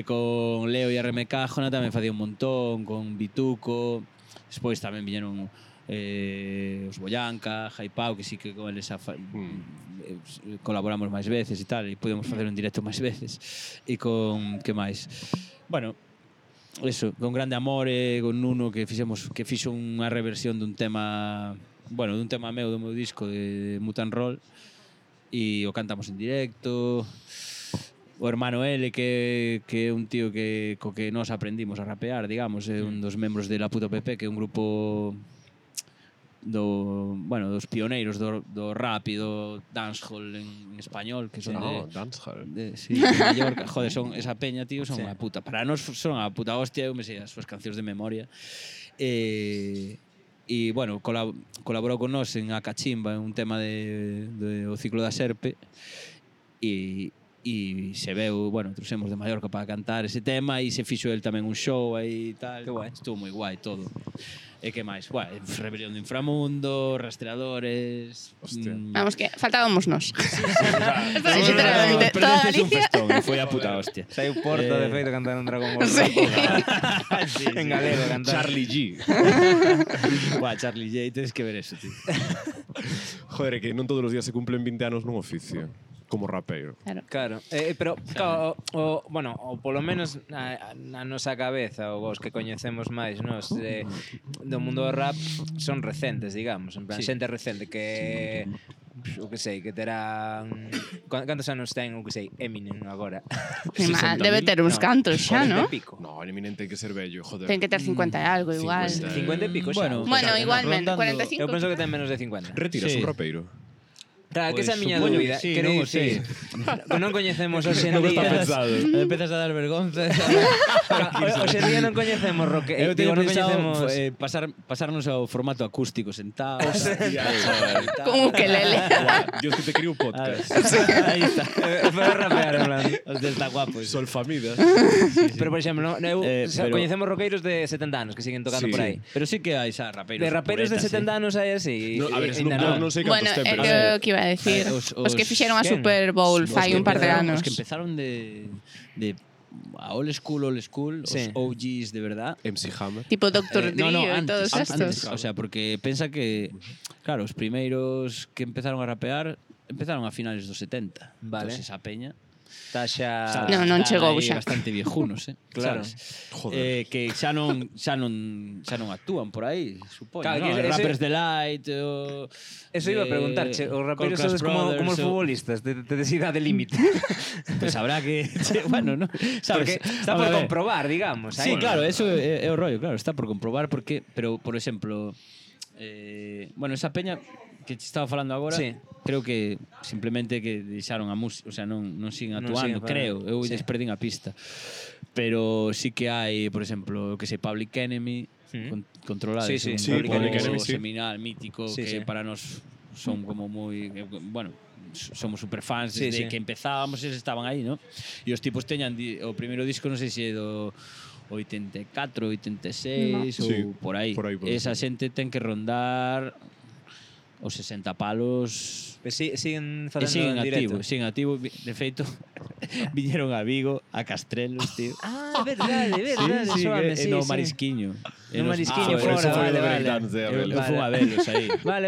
Con Leo e RMK Jona tamén facía un montón, con Bituco, despois tamén viñeron os Boyanca, Jaipau, que sí que con eles colaboramos máis veces e tal, e podemos facer un directo máis veces. E con que máis? Bueno, eso, con Grande Amore, con Nuno, que fixo unha reversión dun tema, bueno, dun tema meu do meu disco de Mutant Roll, e o cantamos en directo. O hermano L, que é un tío co que nós aprendimos a rapear, digamos, é un dos membros de La Puta PP, que é un grupo dos pioneiros do rap e do dancehall en español, que son dancehall. sí, de Mallorca. Joder, son esa peña, tío, son Sí. a puta. Para nós son a puta hostia, eu me sei as súas cancións de memoria. E bueno, colaborou con nós en A Cachimba, en un tema de O Ciclo da Serpe, e se veu, bueno, trouxemos de Mallorca para cantar ese tema, e se fixo el tamén un show aí e tal. Que guai. Estuvo moi guai todo. E que máis? Bueno, Rebelión do Inframundo, Rastreadores... Hostia. Vamos, que faltábamos nos. Literalmente, Literalmente, toda un Galicia. festón, foi a puta hostia. Saiu Porto, de feito, cantando un Dragon Ball. Sí. En galego cantando. Charlie G. Buah, Charlie J, tens que ver eso, tío. Joder, é que non todos os días se cumplen 20 anos nun oficio. Como rapeiro. Claro, pero claro, bueno, o polo menos na nosa cabeza, ou os que coñecemos máis nos do mundo do rap son recentes, digamos, en plan, Sí. xente recente que o que sei, que terán cantos anos ten, o que sei, Eminem agora. Debe ter uns cantos xa, 40 ¿no? e pico. No, Eminem ten que ser bello, joder. Ten que ter 50 e algo, igual. 50 e pico xa. Bueno, Bueno, igualmente, rondando- 45. Eu penso que ten menos de 50. Retiras Sí. un rapeiro. Claro, que esa é a miña supoño dúbida. que sí, Quero non o dicir, que non coñecemos hoxe en Non está día. pensado. Empezas a dar vergonza. Hoxe en día non coñecemos rock. Eu teño non pensado coñecemos pasarnos ao formato acústico sentados. Con ukelele. Dios que te cría un podcast. Aí está. para rapear, en plan. Hostia, está guapo. Sol Famidas. Pero, por exemplo, eu pero- coñecemos roqueiros de 70 anos que siguen tocando Sí. por aí. Pero sí que hai xa rapeiros. De raperos de puretas, 70 anos hai así. No, a ver, ainda non sei Bueno, cantos ten, é pero... que o que iba a decir. Os que fixeron a Super Bowl fai un par de anos. Os que empezaron de a old school, os Sí. OGs de verdad. MC Hammer. Tipo Dr. Dre e todos estos. O sea, porque pensa que, claro, os primeiros que empezaron a rapear empezaron a finales dos 70. Vale. Entonces esa peña Está xa... No, non están chegou aí xa. bastante viejunos, Claro. sabes? Joder. Que xa non actúan por aí, supoño, Claro, ¿no? que ese- Rappers Delight o Eso iba a preguntarche, os raperos sodes como os futbolistas, de idade límite. Pues habrá que bueno, ¿no? Porque Sabes? está Vamos por a ver. comprobar, digamos. Sí, aí. claro, eso é o rollo, claro, está por comprobar porque, pero por exemplo, bueno, esa peña que te estaba falando agora, Sí. creo que simplemente que deixaron a música, o sea, non siguen Non actuando, siguen para- creo, eu sí. lles perdín a pista. Pero sí que hai, por exemplo, que sei, Public Enemy, controlado, Sí, sí, un sí, grupo Public Enemy, sí. seminal, mítico, Sí, que sí. para nos son como moi, bueno, somos superfans Sí, desde sí. que empezábamos, eles estaban aí, ¿no? E os tipos teñan o primeiro disco, non sei se é do 84, 86 No. Sí, ou por aí. por aí pode Esa ser. xente ten que rondar os 60 palos. Pues siguen E facendo en directo. siguen activo. De feito, viñeron a Vigo, a Castrelos, tío. Ah, verdade, soame, no Marisquiño. No Marisquiño, fora, fora, foi vale, do vale. breakdance de Abel. Eu fui a velos aí. Vale,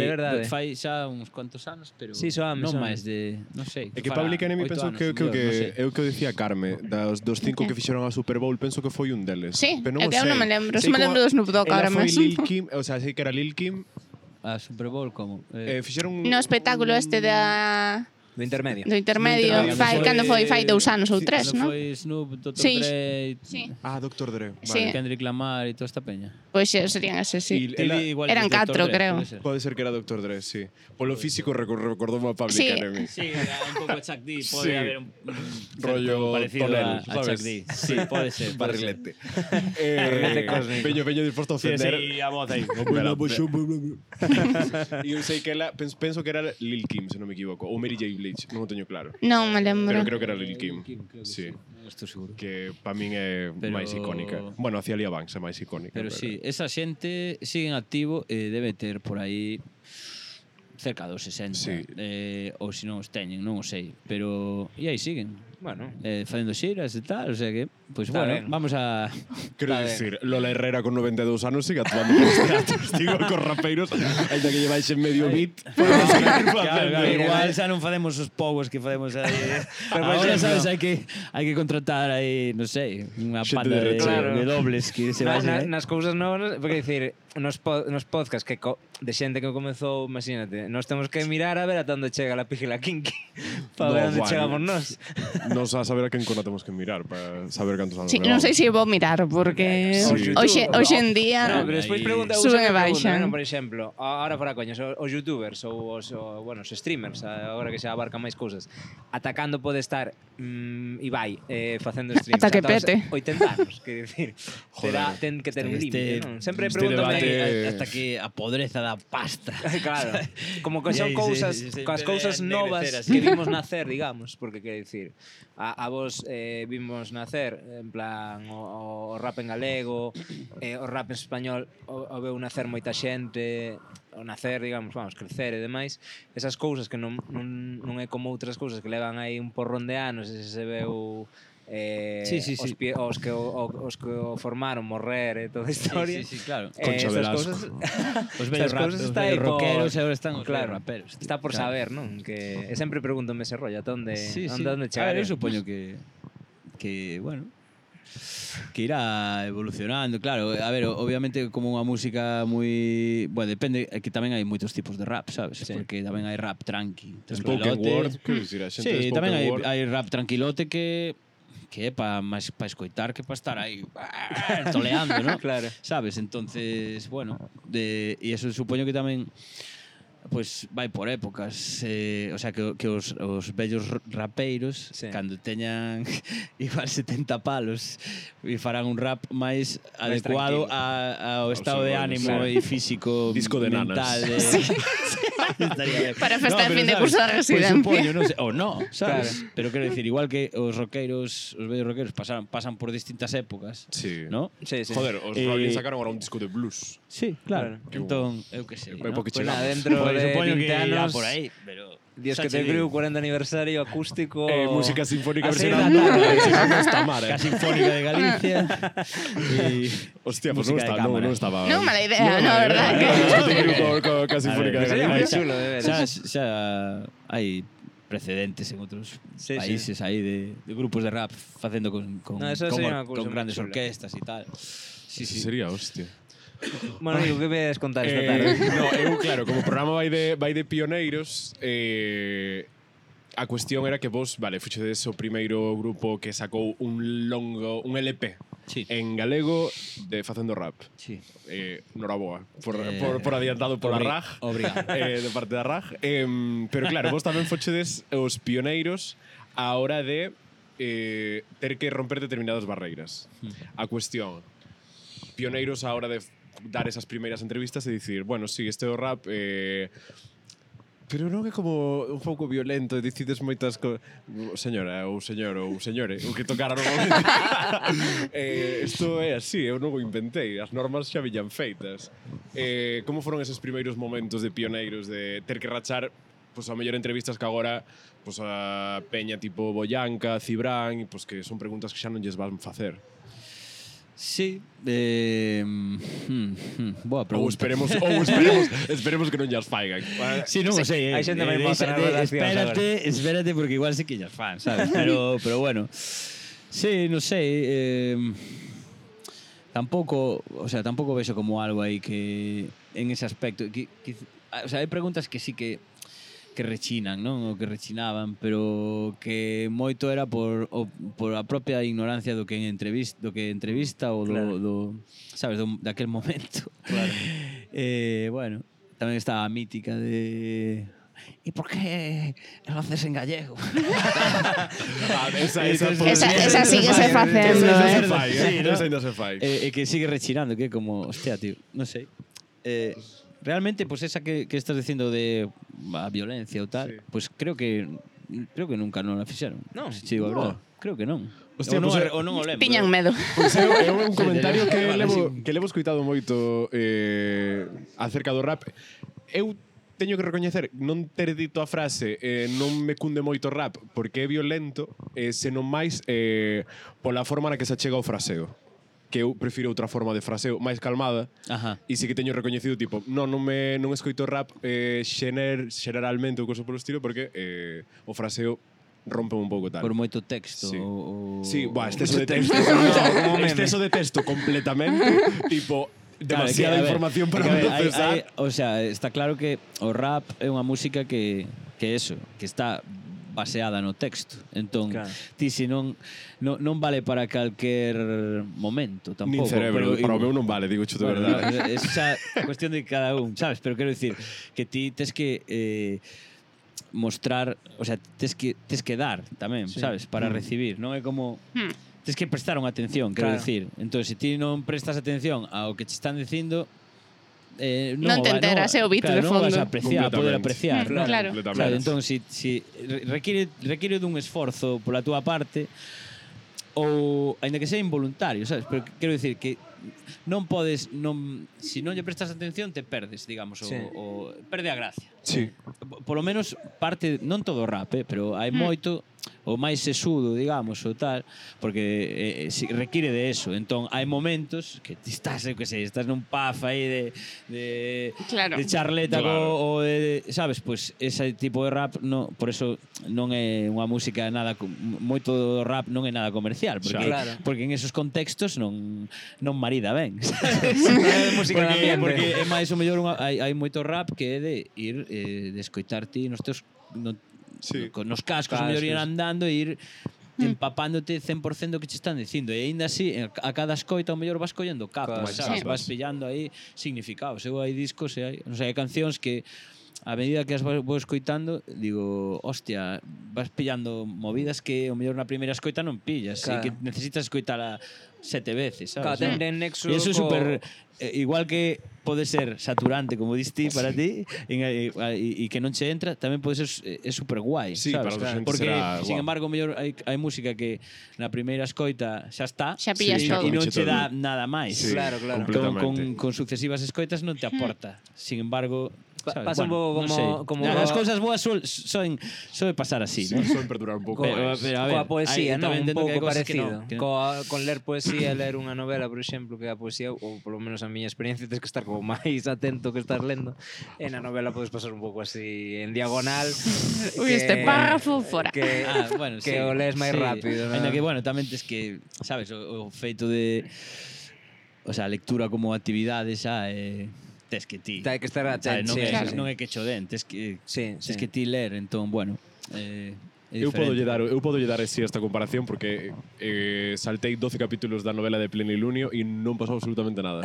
verdade. Fai xa uns cuantos anos, pero Sí, soame, non soame. máis de, non sei. É que fará Public Enemy 8 penso anos, que creo mellor, non sei. que é o que dicía Carme, dos 5 que fixeron a Super Bowl, penso que foi un deles. Sí, Pero é non que eu sei. non me lembro, Sei só me como lembro do Snoop Dogg ela ahora foi mesmo. Lil Kim, o sea, sei que era Lil Kim, A Super Bowl como? fixeron No espectáculo este Do intermedio. do intermedio, cando foi 2 anos ou 3, non? Foi Snoop, Dr. Sí. Dre, Sí. Dr. Dre. Sí. Kendrick Lamar e toda esta peña. Pois serían eses, sí. Y ela- Eran 4, creo. Pode ser que era Dr. Dre, sí. Polo físico recordou a Public Sí. Enemy. Sí, un pouco Chuck D, pode Sí. haber un Rollo parecido tonel, a Chuck sabes? D. Sí, pode ser. Barrilete. Barrilete cósmico. Veño disposto a Sí, ofender. sí, a voz aí. E eu sei que ela, penso que era Lil Kim, se non me equivoco, ou Mary J. Blige, non o teño claro. Non me lembro. Pero creo que era Lil Kim. Sí. Non estou seguro. Que para min é Pero- máis icónica. Bueno, hacia Lia Banks é máis icónica. Pero sí, esa xente sigue en activo e debe ter por aí cerca dos 60. Sí. Ou se non os teñen, non o sei. Pero e aí siguen. Bueno, Facendo xiras e tal, o sea que, pues Está bueno, ben. vamos a... Quero Está dicir, Lola Herrera con 92 anos sigue actuando con os teatros, digo, con rapeiros, ainda que lleváis en medio beat. Claro, igual xa non facemos os povos que facemos aí. Pero, por Agora, exemplo, sabes, hai que contratar aí, non sei, unha Xente panda de de, recheo. de dobles que se vayan. nas cousas novas, porque dicir, nos podcast que de xente que comezou, imagínate, nós temos que mirar a ver ata onde chega la pígila kinky para ver onde chegamos nós. Nos a saber a quen cona temos que mirar para saber cantos anos Sí, non sei se vou mirar, porque Sí. hoxe en día No, pero despois Aí pregunta, suben e pregunta, baixan. por exemplo, ahora fora coñas, os youtubers ou os streamers, agora que se abarcan máis cousas, atacando pode estar Ibai facendo streams Ata que ata os pete. 80 anos, que dicir, ten que ter un límite, non? Sempre pregúntame debate- hasta que a podreza da pasta. Claro, como que E son aí cousas, se coas cousas debe novas ennegrecer así. que vimos nacer, digamos, porque quero dicir, a vos vimos nacer, en plan, o rap en galego, o rap en español, o veu nacer moita xente, o nacer, digamos, vamos, crecer e demais, esas cousas que non é como outras cousas que levan aí un porrón de anos e se veu Sí, sí, sí. os que o formaron morrer e toda a historia. Sí, claro. Concha estas Velasco. cousas Os vellos estas cousas está aí rockeros por- e agora están os claro, vellos raperos. tío. está por Claro. saber, non? Que sempre pregúntome ese rollo, ata onde Sí, sí. onde A ver, chegaré. eu supoño que bueno, que irá evolucionando, claro. A ver, obviamente como unha música moi, bueno, depende, é que tamén hai moitos tipos de rap, sabes? Sí. Porque tamén hai rap tranqui, Spoken tranquilote. word, quero dicir, a xente de Sí, spoken tamén word. hai rap tranquilote que é máis para escoitar que para estar aí toleando, ¿no? Claro. Sabes? Entonces, bueno, e eso supoño que tamén pues vai por épocas, o sea que os vellos rapeiros Sí. cando teñan igual 70 palos e farán un rap máis Máis adecuado tranquilo. ao estado de Claro. ánimo e físico Disco de mental nanas. Estaría ben. Para festa de pero fin de sabes, curso de pois residencia. supoño, non sei, ou no, sabes? Claro. Pero quero dicir, igual que os roqueiros, os vellos roqueiros pasan por distintas épocas, Sí. ¿no? Sí, sí. Joder, os Rolling sacaron ahora un disco de blues. Sí, claro. Claro. Entón, eu que sei, Vai ¿no? porque Pues nada, chegamos. dentro Pois de supoño 20 que irá anos, por aí, pero Dios xa que te che creo, digo. 40 aniversario acústico. Música sinfónica A seis versionada. da tarde. Non está mal, Ca Sinfónica de Galicia e Hostia, pues non música de está, cámara. non estaba. Non mala idea, no, verdad que Te creo ca sinfónica de A ver, Sería Galicia. moi chulo, de veras. xa hai precedentes en outros Sí, sí. países aí de grupos de rap facendo con No, eso sería unha cousa moi grandes chula. orquestas e tal. Sí, Sí, sería hostia. Bueno, digo, que ves contar esta tarde? No, eu, claro, como o programa vai de pioneiros, a cuestión era que vos, vale, fuchedes o primeiro grupo que sacou un LP Sí. en galego de facendo rap. Sí. Noraboa por adiantado pola RAG. Obrigado. De parte da RAG. Pero claro, vos tamén fochedes os pioneiros á hora de ter que romper determinadas barreiras. A cuestión, pioneiros á hora de dar esas primeiras entrevistas e dicir, bueno, sí, este é o rap, pero non é como un pouco violento e decides moitas señora ou señor ou señore o que tocara normalmente. Isto é así, eu non o inventei, as normas xa viñan feitas. Como foron eses primeiros momentos de pioneiros de ter que rachar pois a mellor entrevistas que agora pois a peña tipo Boyanca, Cibrán, pois que son preguntas que xa non lles van facer? Sí, boa Ou pregunta. esperemos que non llas faigan. Sí, non o sei. Hai xente moi moza nas redaccións Espérate, porque igual sí que llas fan, sabes? Pero bueno. Sí, non sei. Tampouco vexo como algo aí que en ese aspecto. O sea, hai preguntas que sí que rechinan, non? O que rechinaban, pero que moito era por a propia ignorancia do que entrevista ou do sabes, daquel momento. Claro. Bueno, tamén estaba a mítica de ¿y por qué lo haces en gallego? Esa sí que se facendo, Esa ainda se fai. E que sigue rechinando, que é como, hostia, tío, non sei. Realmente, pues esa que estás dicindo de a violencia ou tal, pues creo que nunca non la fixeron. Non. Si digo a verdade. Creo que non. Hostia, ou pues, non o lembro. Piñan medo. Pois é un comentario Vale, que levo escoitado moito acerca do rap. Eu teño que recoñecer non ter dito a frase non me cunde moito rap porque é violento, senón máis pola forma na que se achega o fraseo, que eu prefiro outra forma de fraseo máis calmada. Ajá. E sí que teño recoñecido tipo, non escoito rap xeneralmente ou cosa polo estilo porque o fraseo rompe un pouco tal. Por moito texto. Sí. Sí, exceso de texto. Exceso de texto completamente. Tipo, demasiada información para procesar. O sea, está claro que o rap é unha música que eso, que está baseada no texto. Entón, Claro. ti se non vale para calquer momento tampouco. Nin cerebro, pero, para o meu non vale, digo de verdade. É xa cuestión de cada un, sabes? Pero quero dicir que ti tes que mostrar, o sea, tes que dar tamén, sabes? Para recibir, non é como tes que prestar unha atención, quero dicir. Entón, se ti non prestas atención ao que te están dicindo, non te enteras, é o beat de fondo. Non vas a apreciar, a poder apreciar. Claro. Sabes? Entón, si requiere dun esforzo pola túa parte, ou aínda que sea involuntario, sabes? Pero quero dicir que non podes, se non lle prestas atención te perdes, digamos, o perde a gracia. Sí. Por lo menos parte, non todo o rap, pero hai moito o máis sesudo, digamos, ou tal, porque requiere de eso. Entón, hai momentos que ti estás, eu que sei, estás nun puff aí de charleta ou de, sabes, pois ese tipo de rap, por eso non é unha música nada, moito do rap non é nada comercial, porque en esos contextos non marida ben. Música porque é máis ou mellor hai moito rap que é de ir de escoitar ti nos teus nos cascos, o mellor ir andando e ir empapándote 100% do que che están dicindo, e aínda así a cada escoita o mellor vas collendo capas, sabes? Vas pillando aí significados. Eu hai discos e hai cancións que a medida que as vou escoitando digo, hostia, vas pillando movidas que o mellor na primeira escoita non pillas, e que necesitas escoitala 7 veces, sabes? Claro, ten nexo e eso é super igual que pode ser saturante, como diste para ti, e que non che entra, tamén pode ser super guai, sabes? Porque, sin embargo, mellor hai música que na primeira escoita xa está, xa pillas todo e non che dá nada máis. Claro. Con sucesivas escoitas non te aporta. Sin embargo, pasa un pouco como as cousas boas soen pasar así, ¿no? Soen perdurar un pouco máis. Coa poesía, non? Un pouco parecido. Con ler poesía, ler unha novela, por exemplo, que a poesía, ou polo menos a miña experiencia, tens que estar como máis atento que estás lendo. E na novela podes pasar un pouco así en diagonal. Ui, este párrafo fora. Que o lees máis rápido. Ainda que, bueno, tamén tes que, sabes, o feito de... O sea, a lectura como actividade xa tes que ti. Hai que estar atento. Non é que cho den, tes que ti ler, entón, bueno, Eu podo lle dar así esta comparación porque saltei 12 capítulos da novela de Plenilunio e non pasou absolutamente nada.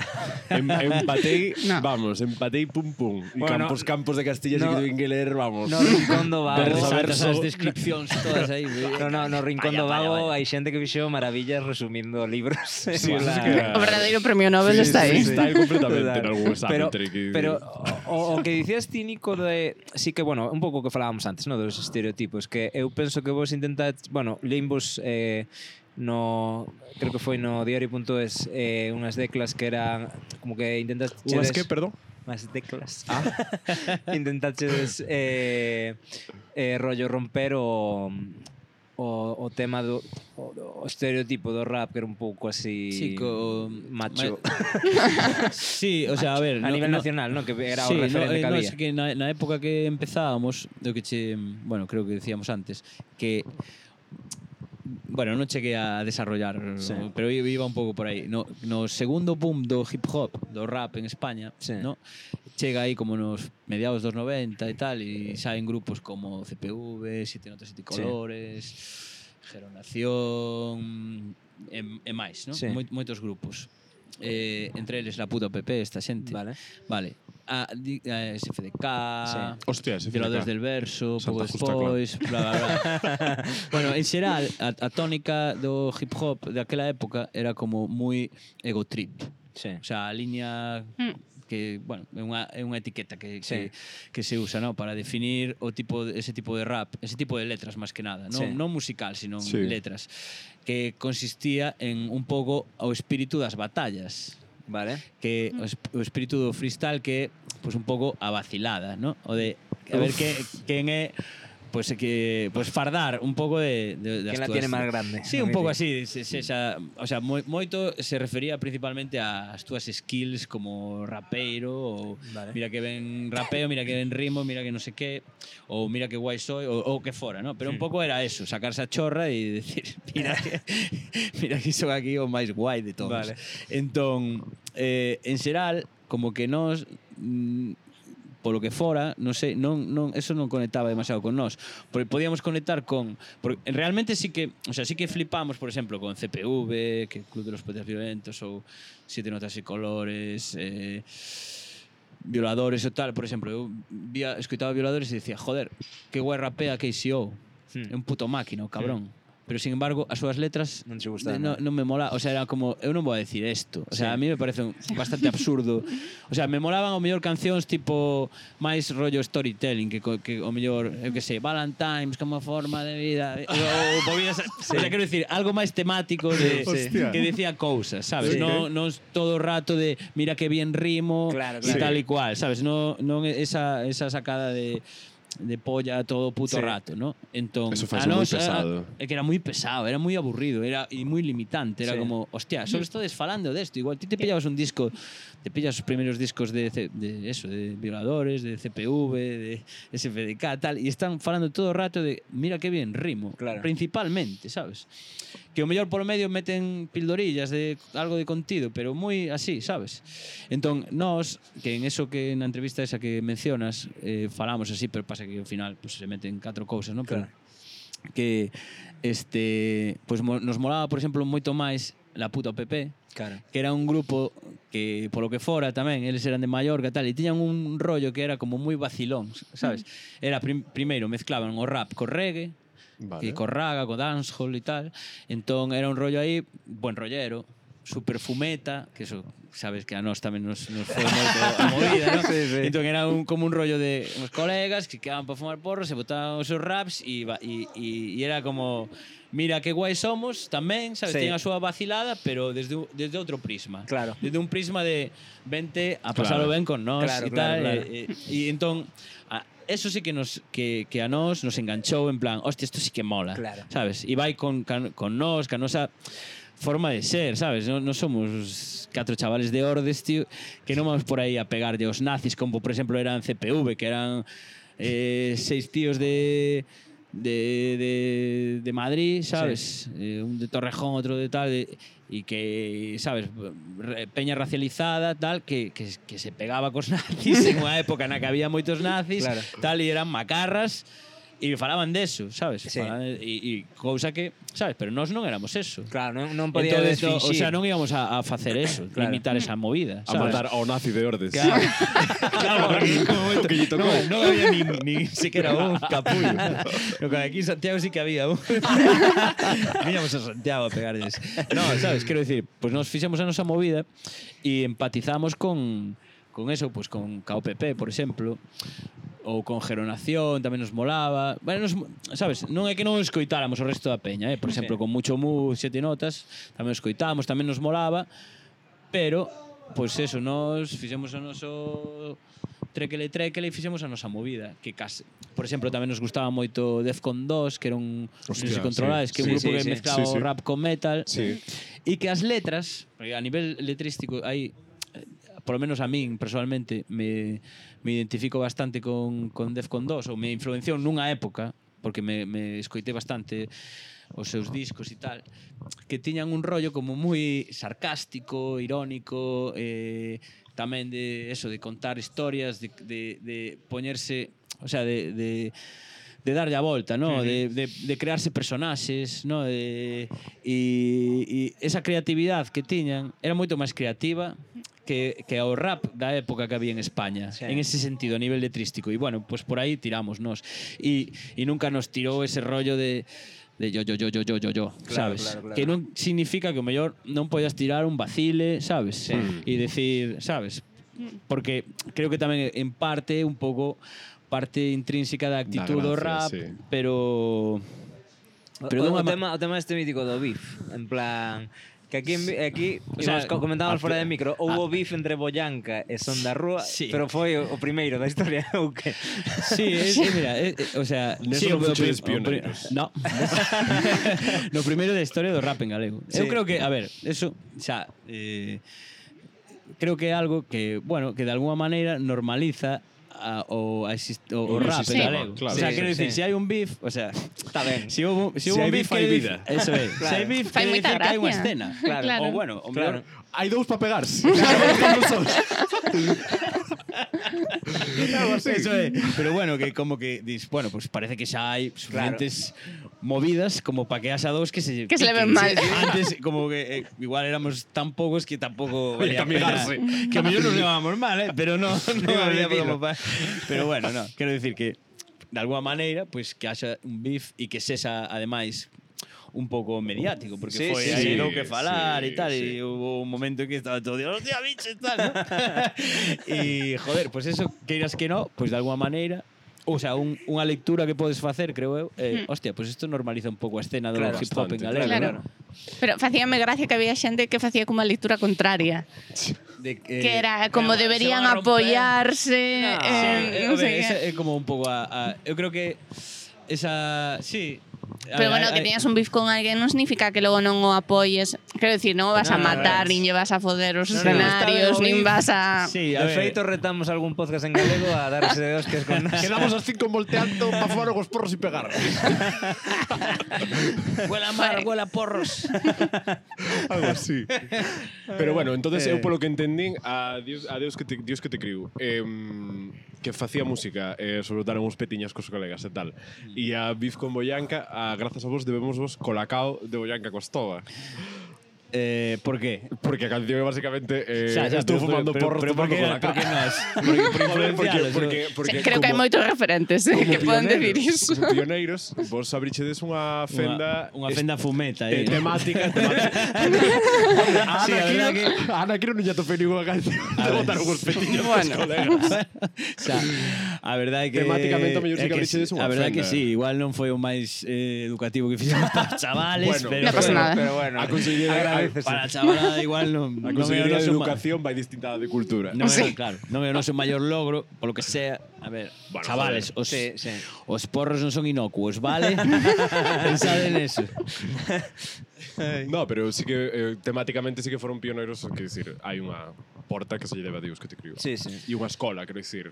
Empatei, vamos, pum pum. E Bueno, campos de Castilla no, que ler, vamos. No Rincón do Vago. Esas descripcións todas aí. No Rincón do Vago hai xente que fixo maravillas resumindo libros. Sí, eso sí que era... O verdadeiro premio Nobel está aí. Está aí completamente en algún examen. Pero o que dicías ti, Nico, de... Sí que, bueno, un pouco que falábamos antes, no, dos estereotipos, que eu penso que vos intentades, bueno, leímos no, creo que foi no diario.es unhas declas que eran como que intentas Unhas que, perdón? Unhas declas. Intentaches rollo romper o tema do o estereotipo do rap que era un pouco así macho. Sí, o sea, a ver, a nivel nacional, ¿no? Que era o referente que había. Es que na época que empezábamos, do que bueno, creo que decíamos antes, que bueno, non cheguei a desarrollar, pero iba un pouco por aí. No segundo boom do hip hop, do rap en España, no? Chega aí como nos mediados dos 90 e tal, e saen grupos como CPV, Siete Notas, Siete Colores, Geronación, e máis, no? Moitos grupos. Entre eles La Puta PP, esta xente. Vale. A SFDK, Hostia, SFDK. Violadores del Verso, pouco despois, bla, bla, bla. Bueno, en xeral, a tónica do hip hop daquela época era como moi ego trip. O sea, a liña que, bueno, é unha etiqueta que se usa, ¿no? Para definir ese tipo de rap, ese tipo de letras máis que nada, non musical, sino letras, que consistía en un pouco o espírito das batallas. Vale. Que o espírito do freestyle que pues un pouco a vacilada, ¿no? O de a ver quen é pues que pues fardar un pouco de que la tiene máis grande. Sí, un pouco así, o sea, moito se refería principalmente ás túas skills como rapeiro, ou mira que ben rapeo, mira que ben rimo, mira que non sei que, ou mira que guai soy, ou que fora, ¿no? Pero un pouco era eso, sacarse a chorra e decir, mira que son aquí o máis guai de todos. Entón, en xeral, como que nós polo que fora, non sei, eso non conectaba demasiado con nós. Porque podíamos conectar con... Porque realmente sí que flipamos, por exemplo, con CPV, que Club de los Poetas Violentos, ou Siete Notas y Colores, Violadores ou tal. Por exemplo, eu escoitaba Violadores e dicía, joder, que guai rapea KCO. É un puto máquina, o cabrón. Pero, sin embargo, as súas letras non me mola. O sea, era como, eu non vou a decir isto. O sea, a mí me parece bastante absurdo. O sea, me molaban o mellor cancións tipo máis rollo storytelling, que o mellor, eu que sei, Valentine's como forma de vida, ou movidas, o sea, quero decir, algo máis temático que decía cousas, sabes? Non todo o rato de mira que bien rimo e tal e cual, sabes? Non esa sacada de polla todo o puto rato, ¿no? Entón, eso fue moi pesado. É que era moi pesado, era moi aburrido, e moi limitante, era como, hostia, só estades falando desto, igual ti te pillabas un disco, te pillas os primeiros discos de Violadores, de CPV, de SFDK, tal, e están falando todo o rato de, mira que bien rimo, principalmente, sabes? Que o mellor polo medio meten pildorillas de algo de contido, pero moi así, sabes? Entón, nós, que en eso que na entrevista esa que mencionas, falamos así, pero pasa que ao final pues, se meten 4 cousas, non? Pero que pues, nos molaba, por exemplo, moito máis La Puta PP, que era un grupo que, polo que fora tamén, eles eran de Mallorca tal, e tiñan un rollo que era como moi vacilón, sabes? Era primeiro mezclaban o rap co reggae, e co raga, co dancehall e tal. Entón era un rollo aí, buen rollero, super fumeta, que eso sabes que a nós tamén nos foi moito a movida, ¿no? Entón era como un rollo de uns colegas que quedaban para fumar porros e botaban os seus raps e era como mira que guai somos tamén, sabes, ten a súa vacilada, pero desde outro prisma. Desde un prisma de vente a pasalo ben con nós e tal. E entón eso sí que a nós nos enganchou en plan, hostia, isto sí que mola, sabes? E vai con nós, ca nosa forma de ser, sabes? Non somos 4 chavales de Ordes, tío, que non vamos por aí a pegarlle aos nazis, como por exemplo eran CPV, que eran 6 tíos de Madrid, sabes? Un de Torrejón, outro de tal, e que, sabes, peña racializada, tal, que se pegaba cos nazis en unha época na que había moitos nazis, tal, e eran macarras, E falaban deso, sabes? Sí. E cousa que, sabes? Pero nós non éramos eso. Claro, non podía Entonces, desfinxir. o sea, non íbamos a facer eso, Claro. limitar esa movida, A sabes? matar ao nazi de Ordes. Claro, porque como momento, que lle tocou. non había ni siquiera un capullo. No, que aquí en Santiago sí que había un. Viñamos a Santiago a pegarles. No, sabes, quero decir, pues nos fixemos a nosa movida e empatizamos con eso, pues con KOPP, por exemplo, ou con Geronación, tamén nos molaba. Bueno, sabes, non é que non escoitáramos o resto da peña, por exemplo, con Mucho Mu, Sete Notas, tamén os escoitamos, tamén nos molaba, pero, pois eso, nos fixemos o noso tréquele e fixemos a nosa movida, que case, por exemplo, tamén nos gustaba moito Defcon 2, que era un, Hostia, non sei se controlades, que é un grupo que mezclaba o rap con metal, e que as letras, porque a nivel letrístico hai, por lo menos a min personalmente me identifico bastante con Defcon 2, ou me influenciou nunha época, porque me escoitei bastante os seus discos e tal, que tiñan un rollo como moi sarcástico, irónico, tamén de eso, de contar historias, de poñerse, o sea, de darlle a volta, ¿no? De crearse personaxes, ¿no? E esa creatividade que tiñan era moito máis creativa que ao rap da época que había en España, en ese sentido, a nivel letrístico. E bueno, pues por aí tiramos nos. E nunca nos tirou ese rollo de yo, sabes? Claro. Que non significa que o mellor non podas tirar un vacile, sabes? E decir, sabes? Porque creo que tamén en parte un pouco parte intrínseca da actitud do rap, pero o tema este mítico do beef, en plan que aquí o sea, comentábamos fora de micro, houbo beef entre Boyanca e Son da Rúa, pero foi o primeiro da historia ou que? Sí, mira, o sea, neso non fuchedes pioneiros. No. No primeiro da historia do rap en galego. Eu creo que, a ver, eso xa creo que é algo que, bueno, que de alguma maneira normaliza o rap en galego. Claro. O sea, quero dicir, se hai un beef, o sea, Está ben. si hubo un beef, hai vida. Eso é. Se hai beef, Fai quere moita dicir que hai unha gracia. escena. Claro. Ou bueno, o Claro. mellor Hai dous para pegarse. Algo así. Eso é. Pero bueno, que como que dis, bueno, pues parece que xa hai suficientes movidas como para que haxa dos que se leven mal. Antes como que igual éramos tan poucos que tampouco valía que pena. amigarse. Que a mellor nos llevábamos mal, pero no había como para. Pero bueno, no, quero decir que de alguma maneira, pues que haxa un beef e que sexa ademais un pouco mediático, porque foi aí lo que falar e tal, e hubo un momento en que estaba todo Dios, hostia, bicho, tal, ¿no? E, joder, pues eso, queiras que no, pues de alguma maneira, o sea, unha lectura que podes facer, creo eu, hostia, pues isto normaliza un pouco a escena do hip hop en galego. Claro. Pero facíame gracia que había xente que facía como a lectura contraria. Que era como deberían apoyarse, non sei que. É como un pouco eu creo que esa, sí. Pero bueno, que teñas un beef con alguén non significa que logo non o apoyes. Quero dicir, non o vas a matar, nin lle vas a foder os escenarios, nin vas a... Sí, De feito, retamos algún podcast en galego a darse de hostias con nos. Quedamos as 5 volteando para fumar os porros e pegar. Huela mar, huela porros. Algo así. Pero bueno, entonces eu polo que entendín a Dios que te criou, que facía música, soltaron uns petiñas cos colegas e tal. E a Beef con Boyanca, grazas a vos debemos vos Colacao de Boyanca Costova. Por qué? Porque a canción é basicamente Xa, estou fumando porros tomando Colacao. Porque nos, por influencialos. Porque Creo que hai moitos referentes que poden decir iso. Como pioneiros, vos abrichedes unha fenda Unha fenda fumeta. temática. Sí, a verdad que A Ana Quiro non lle atopei ninguna canción de botar uns petiños Bueno. cos colegas. o sea, a verdade que Temáticamente, o mellor sí é que abrichedes unha a verdade que fenda. sí, igual non foi o máis educativo que fixemos para os chavales, Bueno, pero non pasa nada. Pero bueno, A conselleira para a chavalada igual non a non é o consellería de noso educación vai distinta da de cultura. non é, claro, non é o noso maior logro, polo que sea, a ver, Bueno, chavales, Sí. os porros non son inocuos, vale? Pensad en eso. No, pero sí que temáticamente sí que foron pioneiros, que decir, hai unha porta que se lle debe a Dios que te criou. Sí, sí. E unha escola, quero dicir.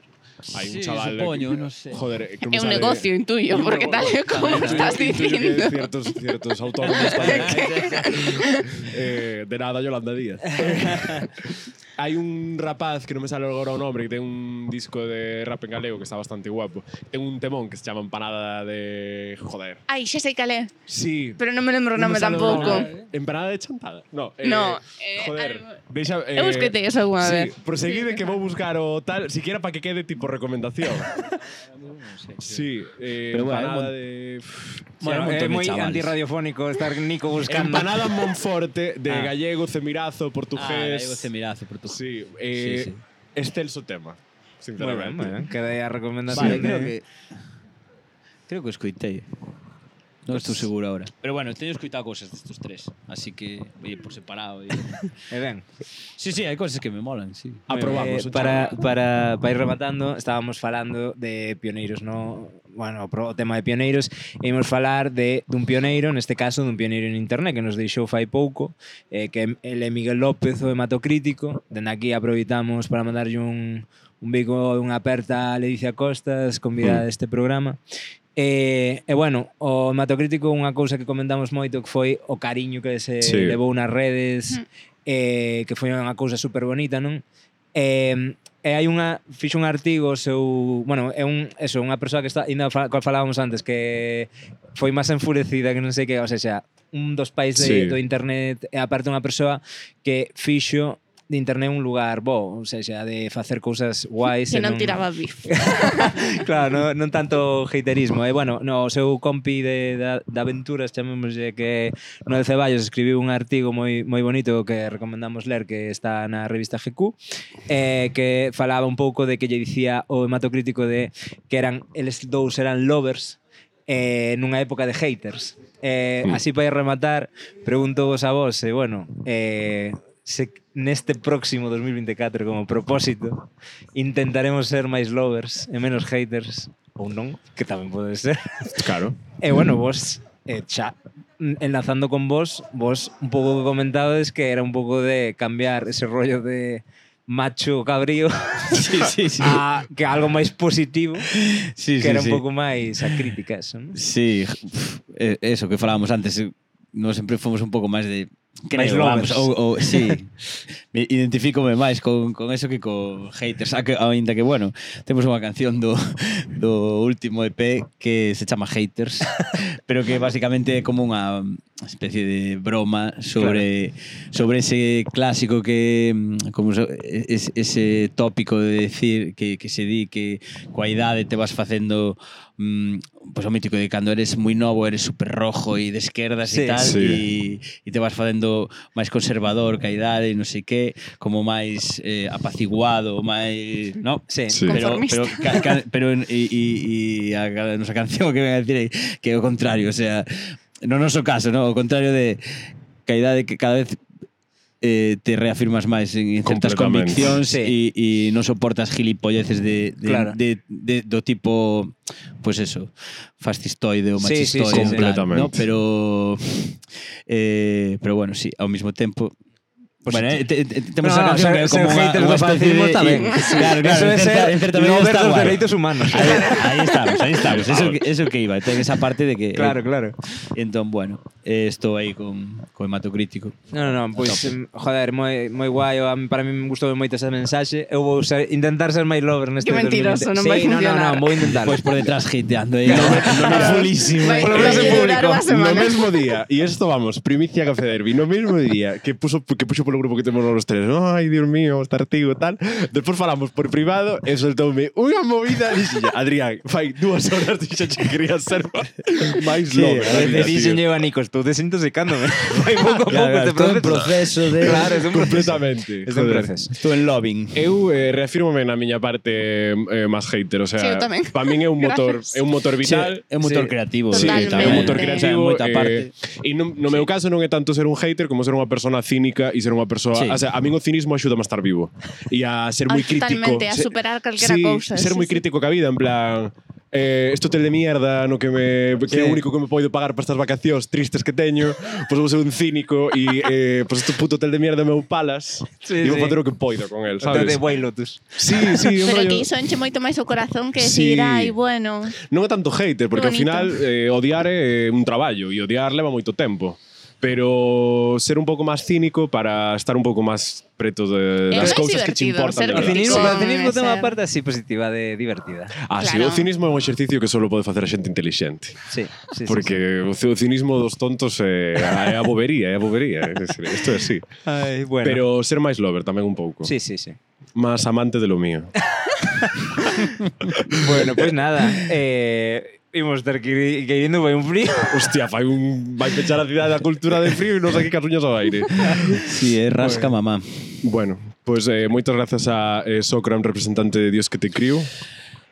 Hai un Sí, chaval... supoño, non sei. Joder, que É me un sale- negocio, intuyo, porque tal e como estás Intuyo que dicindo. ciertos autónomos tamén. De nada, Yolanda Díaz. Hai un rapaz que non me sale agora o nombre, que ten un disco de rap en galego que está bastante guapo. Ten un temón que se chama Empanada de... Joder. Ai, xa sei cal é, Sí. pero non me lembro o nome sale o tampouco. nome. Empanada de chantada. No, No, joder. algo- Deixa, Eu escoitei eso algunha sí, vez. proseguide que vou buscar o tal, siquiera para que quede tipo recomendación. Sí, Pero bueno, empanada de... Bueno, é montón de moi chavales. antirradiofónico estar Nico buscando. Empanada Monforte de Ah. gallego, cemirazo, portugués. Gallego cemirazo, portugués. Sí, Sí, sí. excelso tema, Moi ben, sinceramente. moi ben. Queda aí a recomendación. Vale, creo que escoitei. Non estou seguro ahora. Pero bueno, teño escoitado cousas destos tres, así que oye, por separado. E ben. Sí, hai cousas que me molan, sí. Aprobamos. Para ir rematando, estábamos falando de pioneiros, no? Bueno, o tema de pioneiros, e imos falar dun pioneiro, neste caso dun pioneiro en internet que nos deixou fai pouco, que ele é Miguel López, o hematocrítico. Dende aquí aproveitamos para mandarlle un bico, unha aperta a Ledicia Costas, convidada deste programa. E bueno, o hematocrítico, unha cousa que comentamos moito que foi o cariño que se levou nas redes, que foi unha cousa super bonita, non? E hai fixo un artigo seu, bueno, é unha persoa que está ainda cual falábamos antes, que foi máis enfurecida que non sei que, o sea, un dos pais do internet, e aparte unha persoa que fixo de internet un lugar bo, ou seja, de facer cousas guais. Que non tiraba bif. Claro, non tanto haterismo. E bueno, no, o seu compi de aventuras, chamémoslle, que Noel Ceballos escribiu un artigo moi bonito que recomendamos ler, que está na revista GQ, que falaba un pouco de que lle dicía o hematocrítico de que eles dous eran lovers nunha época de haters. Así para rematar, pregunto vos a vos, bueno, se neste próximo 2024 como propósito intentaremos ser máis lovers e menos haters, ou non, que tamén pode ser. Claro. E bueno, vos xa enlazando con vos un pouco que comentades que era un pouco de cambiar ese rollo de macho cabrío a que algo máis positivo, que era un pouco máis a crítica eso, ¿no? Sí, eso que falábamos antes, nós sempre fomos un pouco máis de máis lovers. Sí, me identifícome máis con eso que con haters, ainda que, bueno, temos unha canción do último EP que se chama Haters, pero que basicamente é como unha especie de broma sobre ese clásico que como ese tópico de decir que se di que coa idade te vas facendo pues o mítico de cando eres moi novo eres super rojo e de esquerdas e tal e te vas facendo máis conservador ca idade e non sei que, como máis apaciguado, máis, no? Sí. Pero a nosa canción que ven a decir que é o contrario, o sea, no noso caso, no, o contrario de que a idade que cada vez te reafirmas máis en certas conviccións e non soportas gilipolleces do tipo, pues eso, fascistoide ou machistoide, completamente. ¿no? Pero bueno, sí, ao mesmo tempo bueno, temos a canción que é como unha especie de... Claro, en certa medida está dos guai. dereitos humanos. Aí estamos. Eso que iba. Ten esa parte de que... Claro. Entón, bueno, estou aí con hematocrítico. Non, pois, joder, moi guai. Para mí me gustou moito esa mensaxe. Eu vou intentar ser máis lover neste 2020. Que mentiroso, non vai funcionar. Non, vou intentar. Pois por detrás hateando aí. Fulísimo. No mesmo día, e isto vamos, primicia Café Derby, no mesmo día que puxo polo grupo que temos los tres, ai, Dios mío, este artigo tal, despois falamos por privado e soltoume unha movida e dixen, Adrián, fai 2 horas dixen que quería ser máis lover. Dixen eu a Nico, estou desintoxicándome. Fai pouco este proceso de... Claro, é un completamente. Estou en loving. Eu reafirmome na miña parte máis hater, o sea, sí, para min é un motor vital, é un motor creativo. Sí, é un motor creativo. E no meu caso non é tanto ser un hater como ser unha persona cínica e ser unha persoa, o sea, a min o cinismo axuda a estar vivo e a ser moi crítico. Totalmente, a superar calquera cousa. Ser moi crítico ca vida, en plan, este hotel de mierda no que é o único que me poido pagar para estas vacacións tristes que teño, pois vou ser un cínico e pois este puto hotel de mierda meu palas e vou facer o que poido con el, sabes? Hotel de White Lotus. Sí, un Pero rollo. que iso enche moito máis o corazón que Sí. decir, ai, bueno. Non é tanto hater, porque ao bonito. final odiar é un traballo e odiar leva moito tempo. Pero ser un pouco máis cínico para estar un pouco máis preto das máis cousas que te divertido, importan ser de O verdade. cinismo, Con o cinismo ten unha ese- parte así positiva de divertida. Ah, sí, o Claro. cinismo é un exercicio que só pode facer a xente inteligente. Sí, sí, Porque o cinismo dos tontos é a bobería, é a bobería. Isto é así. Ai, bueno. Pero ser máis lover tamén un pouco. Sí, sí, sí. Más amante de lo mío. Bueno, pues nada. Imos ter que ir indo, vai un frío. Hostia, vai pechar a cidade da cultura de frío e non sei que casuñas ao aire. Sí, é rasca mamá. Bueno, pues moitas grazas a Socram, representante de Dios que te criou.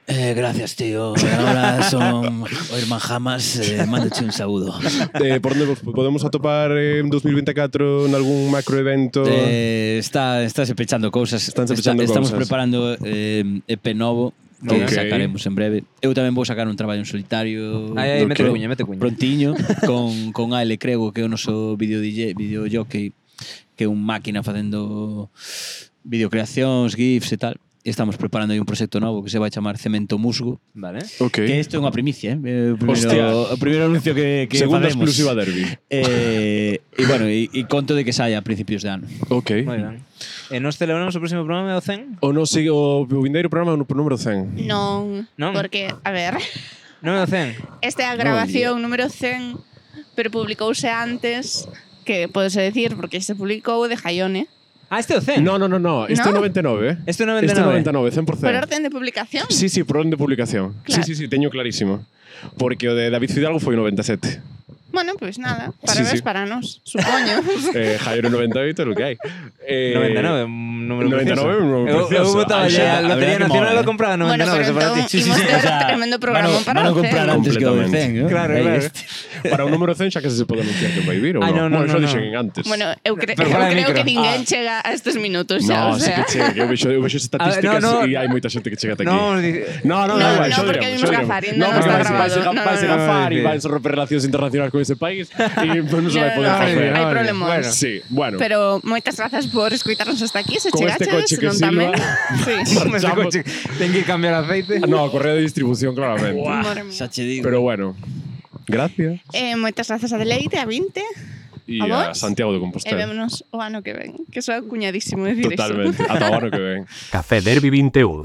Gracias, tío. Ahora son o irmán Jamas. Mándoche un saúdo. Por onde vos podemos atopar en 2024 en algún macroevento? Estáse pechando cousas. Estanse pechando Estamos cousas. preparando EP novo que Ok. sacaremos en breve. Eu tamén vou sacar un traballo en solitario. Ai, Ok. mete cuña, mete cuña. Prontiño con Ale Crego, que é o noso videojockey, que é un máquina facendo videocreacións, gifs e tal. E estamos preparando aí un proxecto novo que se vai chamar Cemento Musgo. Vale. Ok. Que isto é unha primicia, Hostia. O primeiro anuncio que Segunda facemos. exclusiva Derby. E bueno, e conto de que saia a principios de ano. Ok. Moi ben. E nos celebramos o próximo programa do 100? O non sigue o vindeiro programa no número 100. Non, Non? porque, a ver, Non é o 100? esta é a grabación número 100, pero publicouse antes, que podese decir, porque se publicou de Jaione. Ah, este é o 100? No. Este é ¿No? 99, eh? Este é 99. Este é 99, 100%. Por orden de publicación? Sí, por orden de publicación. Claro. Sí, teño clarísimo. Porque o de David Fidalgo foi 97. Bueno, pues nada, Sí, parabéns sí. para nos, supoño. Jairo 98 é lo que hai. 99, un número 99 é un número precioso. Eu votaba Ah, xa, xa, a Lotería a ver que Nacional mola, lo compraba Bueno, 99, pero eso para ti. entón imos ter tremendo programa para van a o comprar 100. antes que o de 100, ¿no? Claro, Aí claro. este. Para o número 100 xa que se pode anunciar que vai vir ou Ai, non? no, Bueno, xa no. dixen antes. Bueno, eu Pero fora de creo micro. que ninguén chega a estes minutos xa, No, o sí sea. que chega, que eu vexo estatísticas no. e hai moita xente que chega ata aquí. No, No, No, da igual, no, xa porque diremos, vimos xa Gafar, diremos. ainda No, non porque está vai grabado. vai ser No, Gafar no, e no. vai ser romper relacións internacionais con ese país e non se vai poder No, facer. hai problemas. Bueno. Sí, bueno. Pero moitas grazas por escoitarnos hasta aquí, se Con este chegaches, coche que non tamén. silba. Sí. Marchamos. Ten que cambiar aceite. No, correo de distribución claramente. Madre mía. Xa che digo. Pero bueno, gracias. Moitas grazas a Deleite, a 20, E A a vos? Santiago de e Compostela. vémonos o ano que ven. Que soa cuñadísimo decir Totalmente. Ata o ano que ven. Café Derby 21.